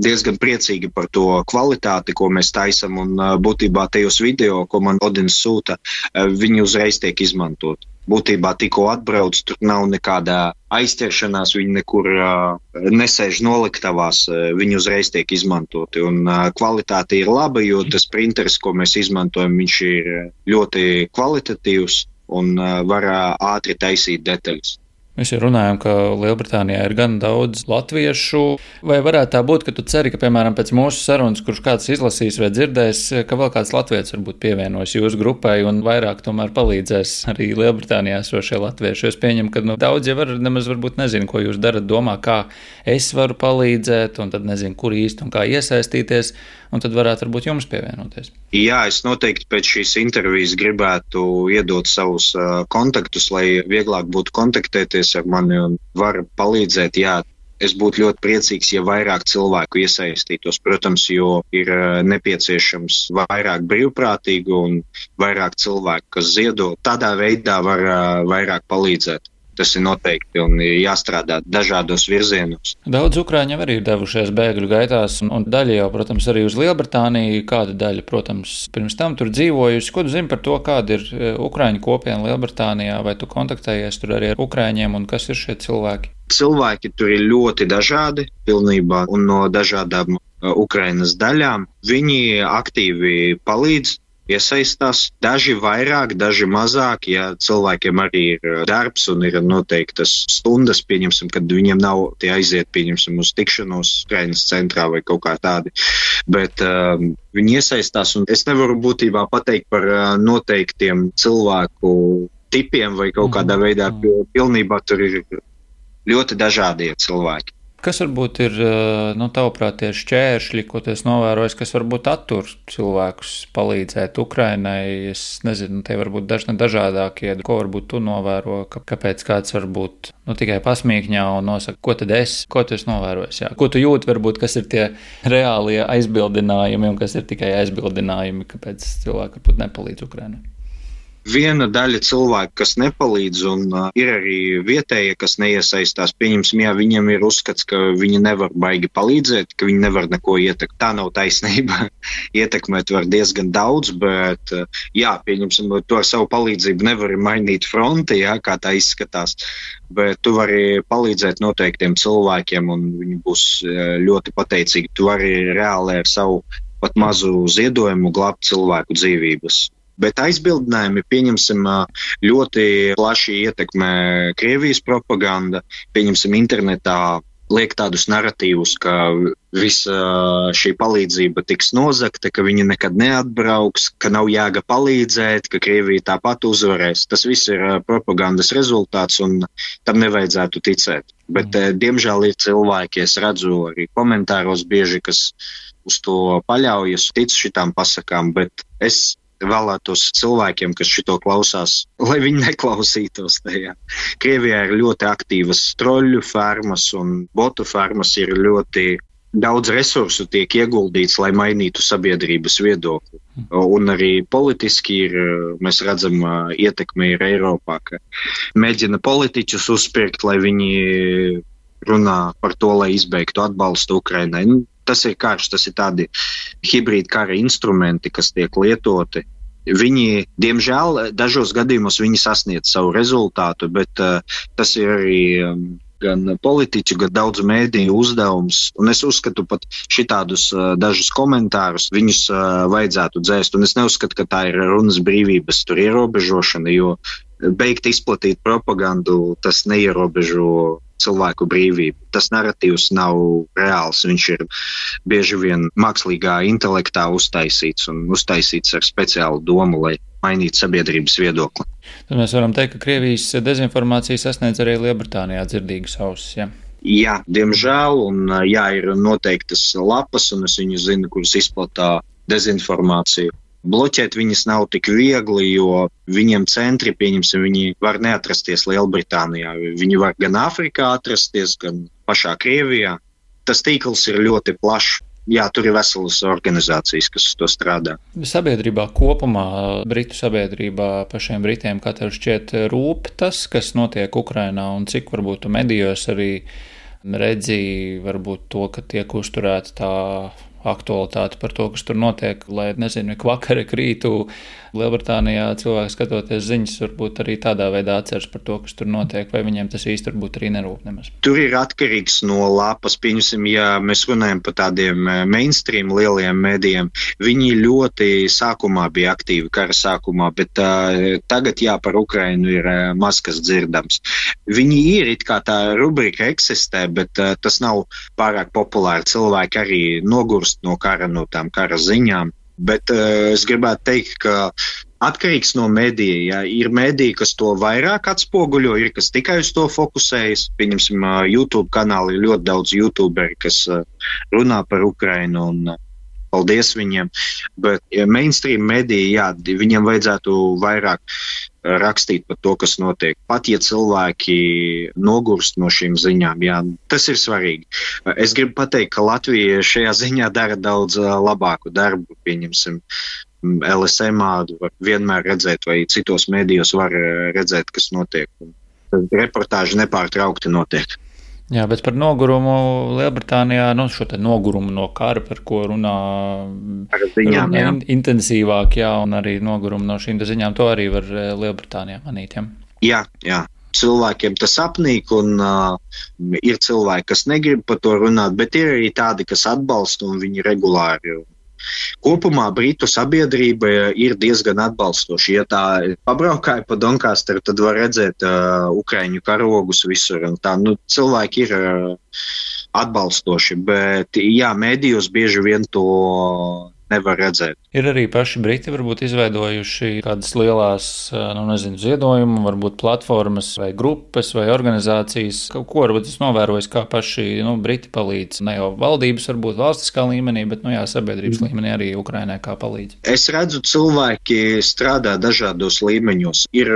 diezgan priecīgi par to kvalitāti, ko mēs taisam, un uh, būtībā tajos video, ko man Odins sūta, uh, viņi uzreiz tiek izmantot. Būtībā tikko atbrauc, tur nav nekādā aizķeršanās, viņi nekur uh, nesēž noliktavās, uh, viņi uzreiz tiek izmantoti. Un uh, kvalitāte ir laba, jo tas printeris, ko mēs izmantojam, viņš ir ļoti kvalitatīvs un uh, var uh, ātri taisīt detaļas. Mēs jau runājam, ka Lielbritānijā ir gan daudz latviešu. Vai varētu tā būt, ka tu ceri, ka, piemēram, pēc mūsu sarunas, kurš kāds izlasīs vai dzirdēs, ka vēl kāds latvietis varbūt pievienojas jūsu grupai un vairāk tomēr palīdzēs arī Lielbritānijā esošie latvieši? Es pieņemu, ka nu, daudz jau var, nemaz varbūt nezinu, ko jūs darat, domā, kā es varu palīdzēt, un tad nezinu, kur īsti un kā iesaistīties, un tad varētu varbūt jums pievienoties. Jā, es noteikti pēc šīs intervijas gribētu iedot savus uh, kontaktus, lai vieglāk būtu kontaktēties ar mani un var palīdzēt. Jā, es būtu ļoti priecīgs, ja vairāk cilvēku iesaistītos, protams, jo ir uh, nepieciešams vairāk brīvprātīgu un vairāk cilvēku, kas ziedo. Tādā veidā var uh, vairāk palīdzēt. Tas ir noteikti un ir jāstrādā dažādos virzienos. Daudz ukrāņi arī ir devušies bēgļu gaitās, un daļa jau, protams, arī uz Lielbritāniju. Kāda daļa, protams, pirms tam tur dzīvojusi. Ko tu zini par to, kāda ir ukrāņu kopiena Lielbritānijā, vai tu kontaktējies tur arī ar ukrāņiem, un kas ir šie cilvēki? Cilvēki tur ir ļoti dažādi, pilnībā, un no dažādām Ukrainas daļām. Viņi aktīvi palīdz, iesaistās, daži vairāk, daži mazāk, ja cilvēkiem arī ir darbs un ir noteiktas stundas, pieņemsim, kad viņiem nav tie aiziet, pieņemsim, uz tikšanos Ukrainas centrā vai kaut kā tādi, bet um, viņi iesaistās, un es nevaru būtībā pateikt par uh, noteiktiem cilvēku tipiem vai kaut kādā veidā, pilnībā tur ir ļoti dažādie cilvēki. Kas varbūt ir, nu, tavuprāt, tie šķēršļi, ko tu esi novērojis, kas varbūt attur cilvēkus palīdzēt Ukrainai? Es nezinu, tie varbūt dažni dažādākie. Ko varbūt tu novēro, ka, kāpēc kāds varbūt nu, tikai pasmīkņā un nosaka, ko tad es, ko tu esi novērojis? Jā? Ko tu jūti, varbūt, kas ir tie reālie aizbildinājumi un kas ir tikai aizbildinājumi, kāpēc cilvēki varbūt nepalīdz Ukrainai? Viena daļa cilvēku, kas nepalīdz, un uh, ir arī vietējie, kas neiesaistās. Pieņemsim, jā, viņiem ir uzskats, ka viņi nevar baigi palīdzēt, ka viņi nevar neko ietekmēt. Tā nav taisnība. Ietekmēt var diezgan daudz, bet, uh, jā, pieņemsim, tu ar savu palīdzību nevari mainīt fronti, jā, kā tā izskatās, bet tu vari palīdzēt noteiktiem cilvēkiem, un viņi būs uh, ļoti pateicīgi. Tu vari reāli ar savu pat mazu ziedojumu glābt cilvēku dzīvības. Bet aizbildinājumi, pieņemsim, ļoti plaši ietekmē Krievijas propaganda. Pieņemsim, internetā liek tādus naratīvus, ka visa šī palīdzība tiks nozagta, ka viņi nekad neatbrauks, ka nav jēga palīdzēt, ka Krievija tāpat uzvarēs. Tas viss ir propagandas rezultāts un tam nevajadzētu ticēt. Bet, mm. diemžēl, ir cilvēki, es redzu arī komentāros bieži, kas uz to paļaujas, tic šitām pasakām, bet es vēlētos cilvēkiem, kas šito klausās, lai viņi neklausītos tajā. Krievijā ir ļoti aktīvas troļu fermas un botu fermas, ir ļoti daudz resursu tiek ieguldīts, lai mainītu sabiedrības viedokli. Un arī politiski ir, mēs redzam, ietekme ir Eiropā, ka mēģina politiķus uzspirkt, lai viņi runā par to, lai izbeigtu atbalstu Ukrainai. Tas ir karš, tas ir tādi hibrīd kara instrumenti, kas tiek lietoti. Viņi, diemžēl, dažos gadījumos viņi sasniedz savu rezultātu, bet uh, tas ir arī um, gan politiķu, gan daudz mēdīju uzdevums. Un es uzskatu pat šitādus uh, dažus komentārus, viņus uh, vajadzētu dzēst. Un es neuzskatu, ka tā ir runas brīvības tur ierobežošana, jo beigt izplatīt propagandu, tas neierobežo cilvēku brīvību. Tas naratīvs nav reāls, viņš ir bieži vien mākslīgā intelektā uztaisīts un uztaisīts ar speciālu domu, lai mainītu sabiedrības viedokli. Tad mēs varam teikt, ka Krievijas dezinformācija sasniedz arī Lielbritānijā dzirdīgas ausis, ja? Jā, diemžēl, un jā, ir noteiktas lapas, un es viņu zinu, kuras izplatā dezinformāciju. Bloķēt viņas nav tik viegli, jo viņiem centri, pieņemsim, viņi var neatrasties Lielbritānijā. Viņi var gan Āfrikā atrasties, gan pašā Krievijā. Tas tīkls ir ļoti plašs. Jā, tur ir veselas organizācijas, kas to strādā. Sabiedrībā kopumā, Britu sabiedrībā pašiem Britiem, kā tev šķiet, rūp tas, kas notiek Ukrainā, un cik varbūt medijos arī redzi varbūt to, ka tiek uzturēta tā aktualitāte par to, kas tur notiek, lai, nezinu, ik vakar, ik rītu Lielbritānijā cilvēki skatoties ziņas, varbūt arī tādā veidā atceras par to, kas tur notiek, vai viņiem tas īsti varbūt arī nerūp nemaz. Tur ir atkarīgs no lapas, pieņemsim, ja mēs runājam par tādiem mainstream lieliem mēdījiem, viņi ļoti sākumā bija aktīvi kara sākumā, bet uh, tagad jā, par Ukrainu ir uh, maz kas dzirdams. Viņi ir, it kā tā rubrika eksistē, bet uh, tas nav pārāk populāri. Cilvēki arī nogurst no kara, no tām kara ziņām. Bet uh, es gribētu teikt, ka atkarīgs no medija, ja ir mediji, kas to vairāk atspoguļo, ir kas tikai uz to fokusējas. Pieņemsim, uh, YouTube kanāli ir ļoti daudz YouTuberi, kas uh, runā par Ukrainu un uh, paldies viņiem. Bet ja mainstream mediji, jā, viņiem vajadzētu vairāk uh, rakstīt par to, kas notiek. Pat ja cilvēki nogurst no šīm ziņām, jā, tas ir svarīgi. Es gribu pateikt, ka Latvija šajā ziņā dara daudz labāku darbu, pieņemsim, L S M var vienmēr redzēt, vai citos mēdījos var redzēt, kas notiek. Reportāži nepārtraukti notiek. Jā, bet par nogurumu Lielbritānijā, nu šo te nogurumu no kara, par ko runā, ziņām, runā jā. intensīvāk, jā, un arī nogurumu no šīm ziņām, to arī var Lielbritānijā manīt, jā? Jā, jā. Cilvēkiem tas apnīk, un uh, ir cilvēki, kas negrib par to runāt, bet ir arī tādi, kas atbalsta, un viņi regulāri. Kopumā Britu sabiedrība ir diezgan atbalstoša. Ja tā pabraukāja pa Doncasteru, tad var redzēt uh, Ukraiņu karogus visur. Un tā, nu, cilvēki ir uh, atbalstoši, bet jā, mēdījos bieži vien to nevar redzēt. Ir arī paši Briti varbūt izveidojuši kādas lielās, nu nezinu, ziedojumu, varbūt platformas vai grupas vai organizācijas, kaut ko varbūt es novērojis, kā paši, nu, Briti palīdz. Ne jau valdības, varbūt valstiskā līmenī, bet, nu jā, sabiedrības mm. līmenī arī Ukrainai kā palīdz. Es redzu, cilvēki strādā dažādos līmeņos. Ir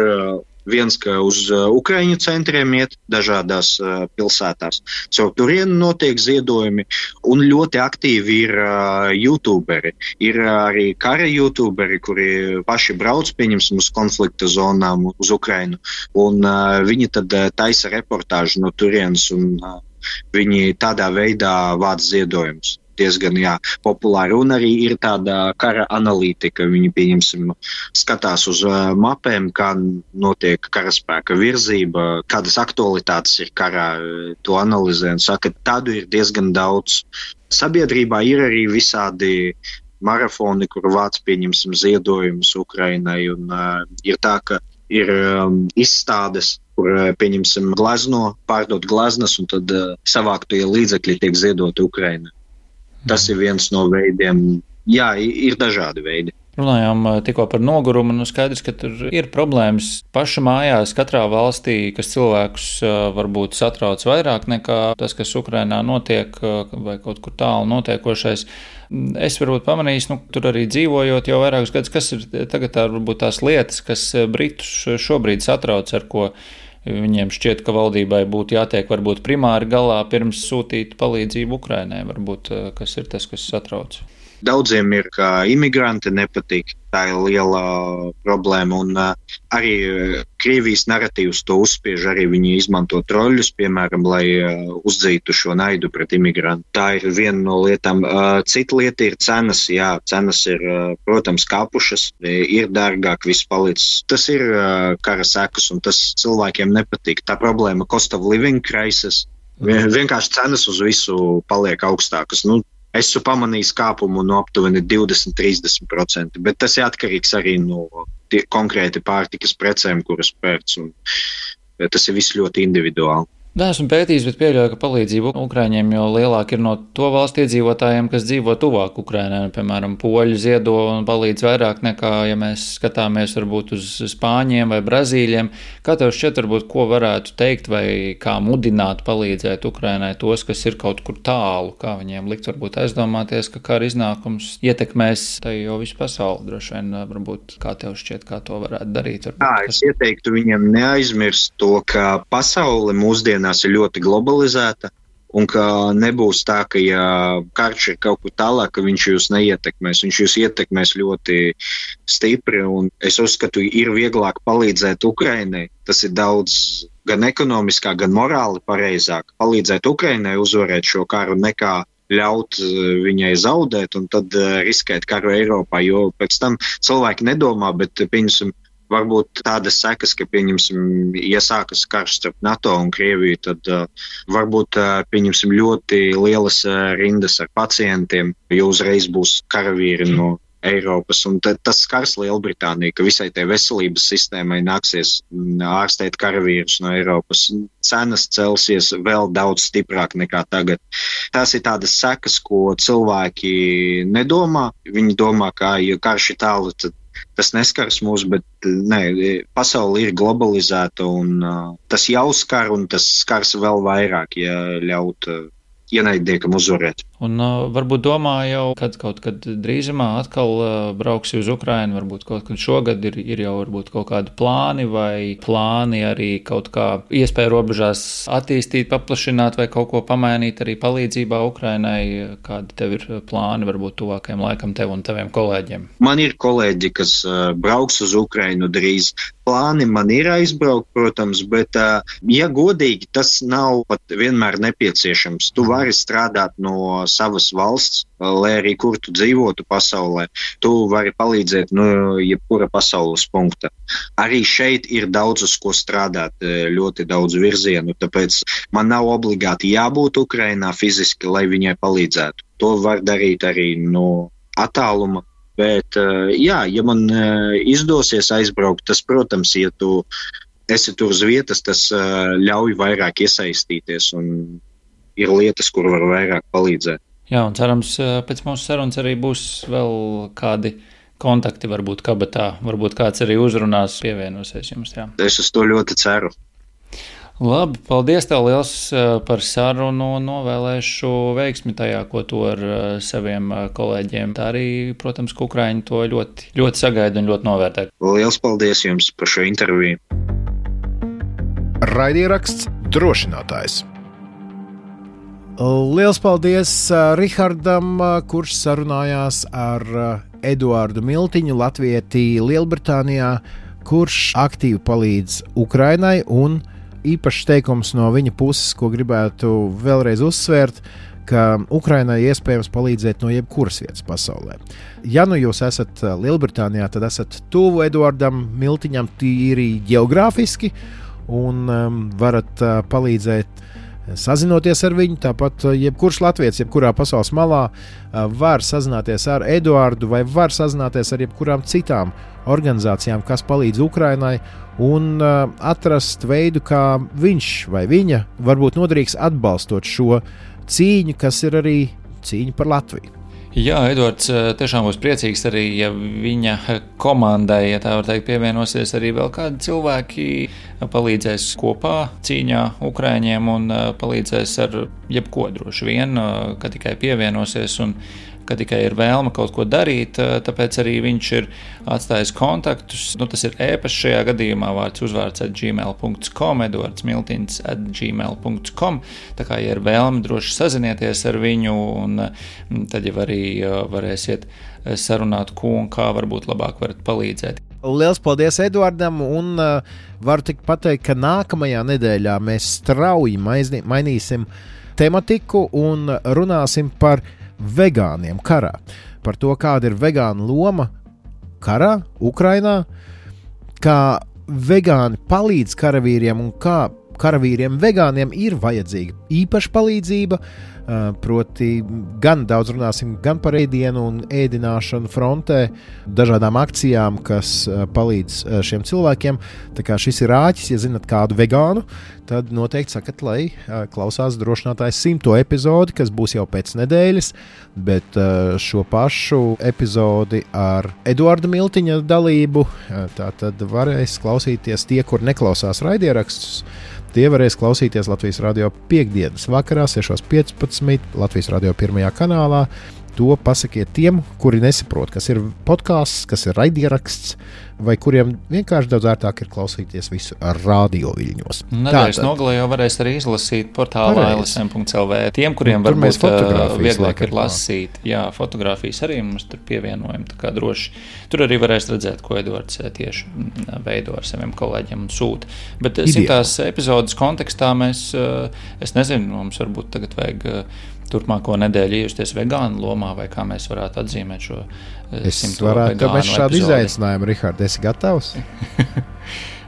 viens, ka uz Ukraiņu centriem iet dažādās uh, pilsētās. Caur turienu notiek ziedojumi, un ļoti aktīvi ir uh, YouTuberi. Ir uh, arī kara YouTuberi, kuri paši brauc, pieņemsim, uz konflikta zonām uz Ukrainu, un uh, viņi tad uh, taisa reportāžu no turienes, un uh, viņi tādā veidā vāc ziedojumus. Diezgan, jā, populāri, un arī ir tāda kara analītika. Viņi, pieņemsim, skatās uz uh, mapēm, kā notiek karaspēka virzība, kādas aktualitātes ir karā, to analizē un saka, tādu ir diezgan daudz. Sabiedrībā ir arī visādi marafoni, kur vāc, pieņemsim, ziedojumus Ukrainai, un uh, ir tā, ka ir um, izstādes, kur, pieņemsim, glazno, pārdot glaznas, un tad uh, savāktie līdzekļi tiek ziedoti Ukrainai. Tas ir viens no veidiem. Jā, ir dažādi veidi. Runājām tikko par nogurumu, nu skaidrs, ka tur ir problēmas paša mājās katrā valstī, kas cilvēkus varbūt satrauc vairāk nekā tas, kas Ukrainā notiek vai kaut kur tālu notiekošais. Es varbūt pamanīju, nu, tur arī dzīvojot jau vairākus gadus, kas ir tagad tā, varbūt tās lietas, kas Britus šobrīd satrauc, ar ko viņiem šķiet, ka valdībai būtu jātiek varbūt primāri galā pirms sūtīt palīdzību Ukrainai. Varbūt kas ir tas, kas satrauc? Daudziem ir, ka imigranti nepatīk. Tā ir liela problēma. Un uh, arī uh, Krievijas naratīvs to uzspiež. Arī viņi izmanto troļļus, piemēram, lai uh, uzdzītu šo naidu pret imigrantu. Tā ir viena no lietām. Uh, cita lieta ir cenas. Jā, cenas ir, uh, protams, kāpušas. Ir dārgāk, viss palicis. Tas ir uh, kara sekas, un tas cilvēkiem nepatīk. Tā problēma cost of living crisis. Vien, vienkārši cenas uz visu paliek augstākas. Nu, Es esmu pamanījis kāpumu no aptuveni divdesmit līdz trīsdesmit procenti, bet tas ir atkarīgs arī no tie, konkrēti pārtikas precēm, kuras pērc, un tas ir viss ļoti individuāli. Nē, esmu pētījis, bet pieļauju, ka palīdzība Ukraiņiem jau lielāk ir no to valstu iedzīvotājiem, kas dzīvo tuvāk Ukrainai. Piemēram, poļi ziedo un palīdz vairāk nekā, ja mēs skatāmies varbūt uz spāņiem vai brazīļiem. Kā tev šķiet, varbūt, ko varētu teikt vai kā mudināt palīdzēt Ukrainai tos, kas ir kaut kur tālu? Kā viņiem likt varbūt aizdomāties, ka kara iznākums ietekmēs tai jau visu pasauli droši vien, varbūt kā tev šķiet, kā to varētu darīt? Varbūt, Jā, kas... es ieteiktu viņiem neaizmirst to, ka pasaule mūsdienās ir ļoti globalizēta un ka nebūs tā, ka ja karš ir kaut kur tālāk, ka viņš jūs neietekmēs. Viņš jūs ietekmēs ļoti stipri un es uzskatu, ir vieglāk palīdzēt Ukrainai. Tas ir daudz gan ekonomiskāk, gan morāli pareizāk palīdzēt Ukrainai uzvarēt šo karu nekā ļaut viņai zaudēt un tad riskēt karu Eiropā, jo pēc tam cilvēki nedomā, bet pieņemsim, varbūt tādas sekas, ka, pieņemsim, iesākas karš starp NATO un Krieviju, tad uh, varbūt, uh, pieņemsim, ļoti lielas uh, rindas ar pacientiem, jo uzreiz būs karavīri no Eiropas, un tad tas skars Lielbritāniju, ka visai tai veselības sistēmai nāksies ārstēt karavīrus no Eiropas. Cenas celsies vēl daudz stiprāk nekā tagad. Tās ir tādas sekas, ko cilvēki nedomā. Viņi domā, ka, ja karš ir tālu, tad tas neskars mūs, bet ne, pasauli ir globalizēta un uh, tas jau skar un tas skars vēl vairāk, ja ļaut uh, ienaidniekam uzvarēt. Un uh, varbūt domā jau, kad kaut kad drīzumā atkal uh, brauksi uz Ukrainu, varbūt kaut kad šogad ir, ir jau varbūt kaut kādi plāni vai plāni arī kaut kā iespēja robežās attīstīt, paplašināt vai kaut ko pamainīt arī palīdzībā Ukrainai. Kādi tev ir plāni varbūt tuvākajam laikam tev un taviem kolēģiem? Man ir kolēģi, kas uh, brauks uz Ukrainu drīz. Plāni man ir aizbraukt, protams, bet, uh, ja godīgi, tas nav pat vienmēr nepieciešams. Tu vari strādāt no savas valsts, lai arī kur tu dzīvotu pasaulē, tu vari palīdzēt no jebkura pasaules punkta. Arī šeit ir daudz uz ko strādāt, ļoti daudz virzienu, tāpēc man nav obligāti jābūt Ukrainā fiziski, lai viņai palīdzētu. To var darīt arī no attāluma, bet jā, ja man izdosies aizbraukt, tas, protams, ja tu esi tur uz vietas, tas ļauj vairāk iesaistīties un ir lietas, kur var vairāk palīdzēt. Jā, un cerams, pēc mūsu sarunas arī būs vēl kādi kontakti, varbūt kabatā, varbūt kāds arī uzrunās, pievienosies jums. Jā. Es uz to ļoti ceru. Labi, paldies tev liels par sarunu un novēlēšu veiksmi tajā, ko tu ar saviem kolēģiem. Tā arī, protams, ka Ukraiņi to ļoti, ļoti sagaida un ļoti novērtē. Liels paldies jums par šo interviju. Raidieraksts Drošinātājs. Liels paldies Rihardam, kurš sarunājās ar Eduardu Miltiņu, latvieti Lielbritānijā, kurš aktīvi palīdz Ukrainai, un īpašs teikums no viņa puses, ko gribētu vēlreiz uzsvērt, ka Ukrainai iespējams palīdzēt no jebkuras vietas pasaulē. Ja nu jūs esat Lielbritānijā, tad esat tuvu Eduardam Miltiņam tīri geogrāfiski un um, varat uh, palīdzēt sazinoties ar viņu. Tāpat jebkurš latviečs, jebkurā pasaules malā var sazināties ar Eduardu vai var sazināties ar jebkurām citām organizācijām, kas palīdz Ukrainai, un atrast veidu, kā viņš vai viņa varbūt noderīgs atbalstot šo cīņu, kas ir arī cīņa par Latviju. Jā, Edvards tiešām būs priecīgs arī, ja viņa komandai, ja tā var teikt, pievienosies arī vēl kādi cilvēki, palīdzēs kopā cīņā Ukraiņiem un palīdzēs ar jebko droši vien, ka tikai pievienosies un ka tikai ir vēlme kaut ko darīt, tāpēc arī viņš ir atstājis kontaktus. Nu, tas ir e-pasts šajā gadījumā, vārds uzvārds at gmail punkt com, edvards miltins at gmail punkt com. Tā kā, ja ir vēlme, droši sazinieties ar viņu, un tad jau arī varēsiet sarunāt, ko un kā varbūt labāk varat palīdzēt. Liels paldies Eduardam, un uh, varu tik pateikt, ka nākamajā nedēļā mēs strauji maizni, mainīsim tematiku un runāsim par vegāniem karā. Par to, kāda ir vegāna loma karā, Ukrainā, kā vegāni palīdz karavīriem un kā karavīriem vegāniem ir vajadzīga īpaša palīdzība. Proti, gan daudz runāsim gan par ēdienu un ēdināšanu frontē, dažādām akcijām, kas palīdz šiem cilvēkiem. Tā kā šis ir āķis, ja zinat kādu vegānu, tad noteikti sakat, lai klausās drošinātājs simto epizodi, kas būs jau pēc nedēļas, bet šo pašu epizodi ar Eduarda Miltiņa dalību, tā tad varēs klausīties tie, kur neklausās raidierakstus. Tie varēs klausīties Latvijas radio piekdienas vakarā, sešos piecpadsmit, Latvijas radio pirmajā kanālā. To pasakiet tiem, kuri nesaprot, kas ir podcasts, kas ir raidieraksts, vai kuriem vienkārši daudz ērtāk ir klausīties visu ar radio viļņos. Nedēļas nogalē jau varēs arī izlasīt portālā el es em punkt el vē. Tiem, kuriem varbūt vieglāk ir lasīt, jā, fotogrāfijas arī mums tur pievienojam, tā kā droši. Tur arī varēs redzēt, ko Edvards tieši veido ar saviem kolēģiem un sūta. Bet simtās epizodes kontekstā mēs, es nezinu, mums varbūt tagad vajag turpmāko nedēļu iejusties vegānu lomā, vai kā mēs varētu atzīmēt šo es simto varētu, vegānu mēs šādu epizodi. Izaicinājumu, Rihard, esi gatavs?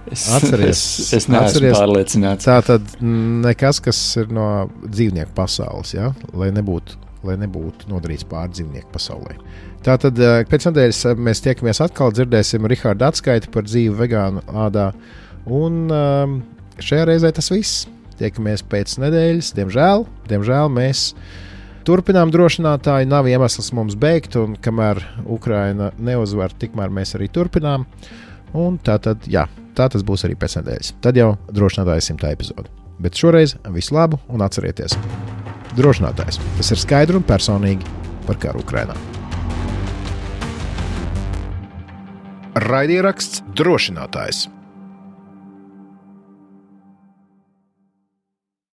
es, atceries, es, es neesmu atceries, pārliecināts. Tā tad nekas, kas ir no dzīvnieku pasaules, ja? lai, nebūtu, lai nebūtu nodarīts pār dzīvnieku pasaulē. Tā tad pēc nedēļas mēs tiekamies atkal, dzirdēsim Riharda atskaiti par dzīvi vegānu ādā, un šajā reizē tas viss. Tiekamies pēc nedēļas, diemžēl, diemžēl mēs turpinām drošinātāju, nav iemesls mums beigt, un kamēr Ukraina neuzvar, tikmēr mēs arī turpinām, un tā tad, jā, tā tas būs arī pēc nedēļas. Tad jau drošinātāja simtā epizode. Bet šoreiz visu labu un atcerieties, drošinātājs, tas ir skaidri un personīgi par karu Ukrainā. Raidieraksts drošinātājs.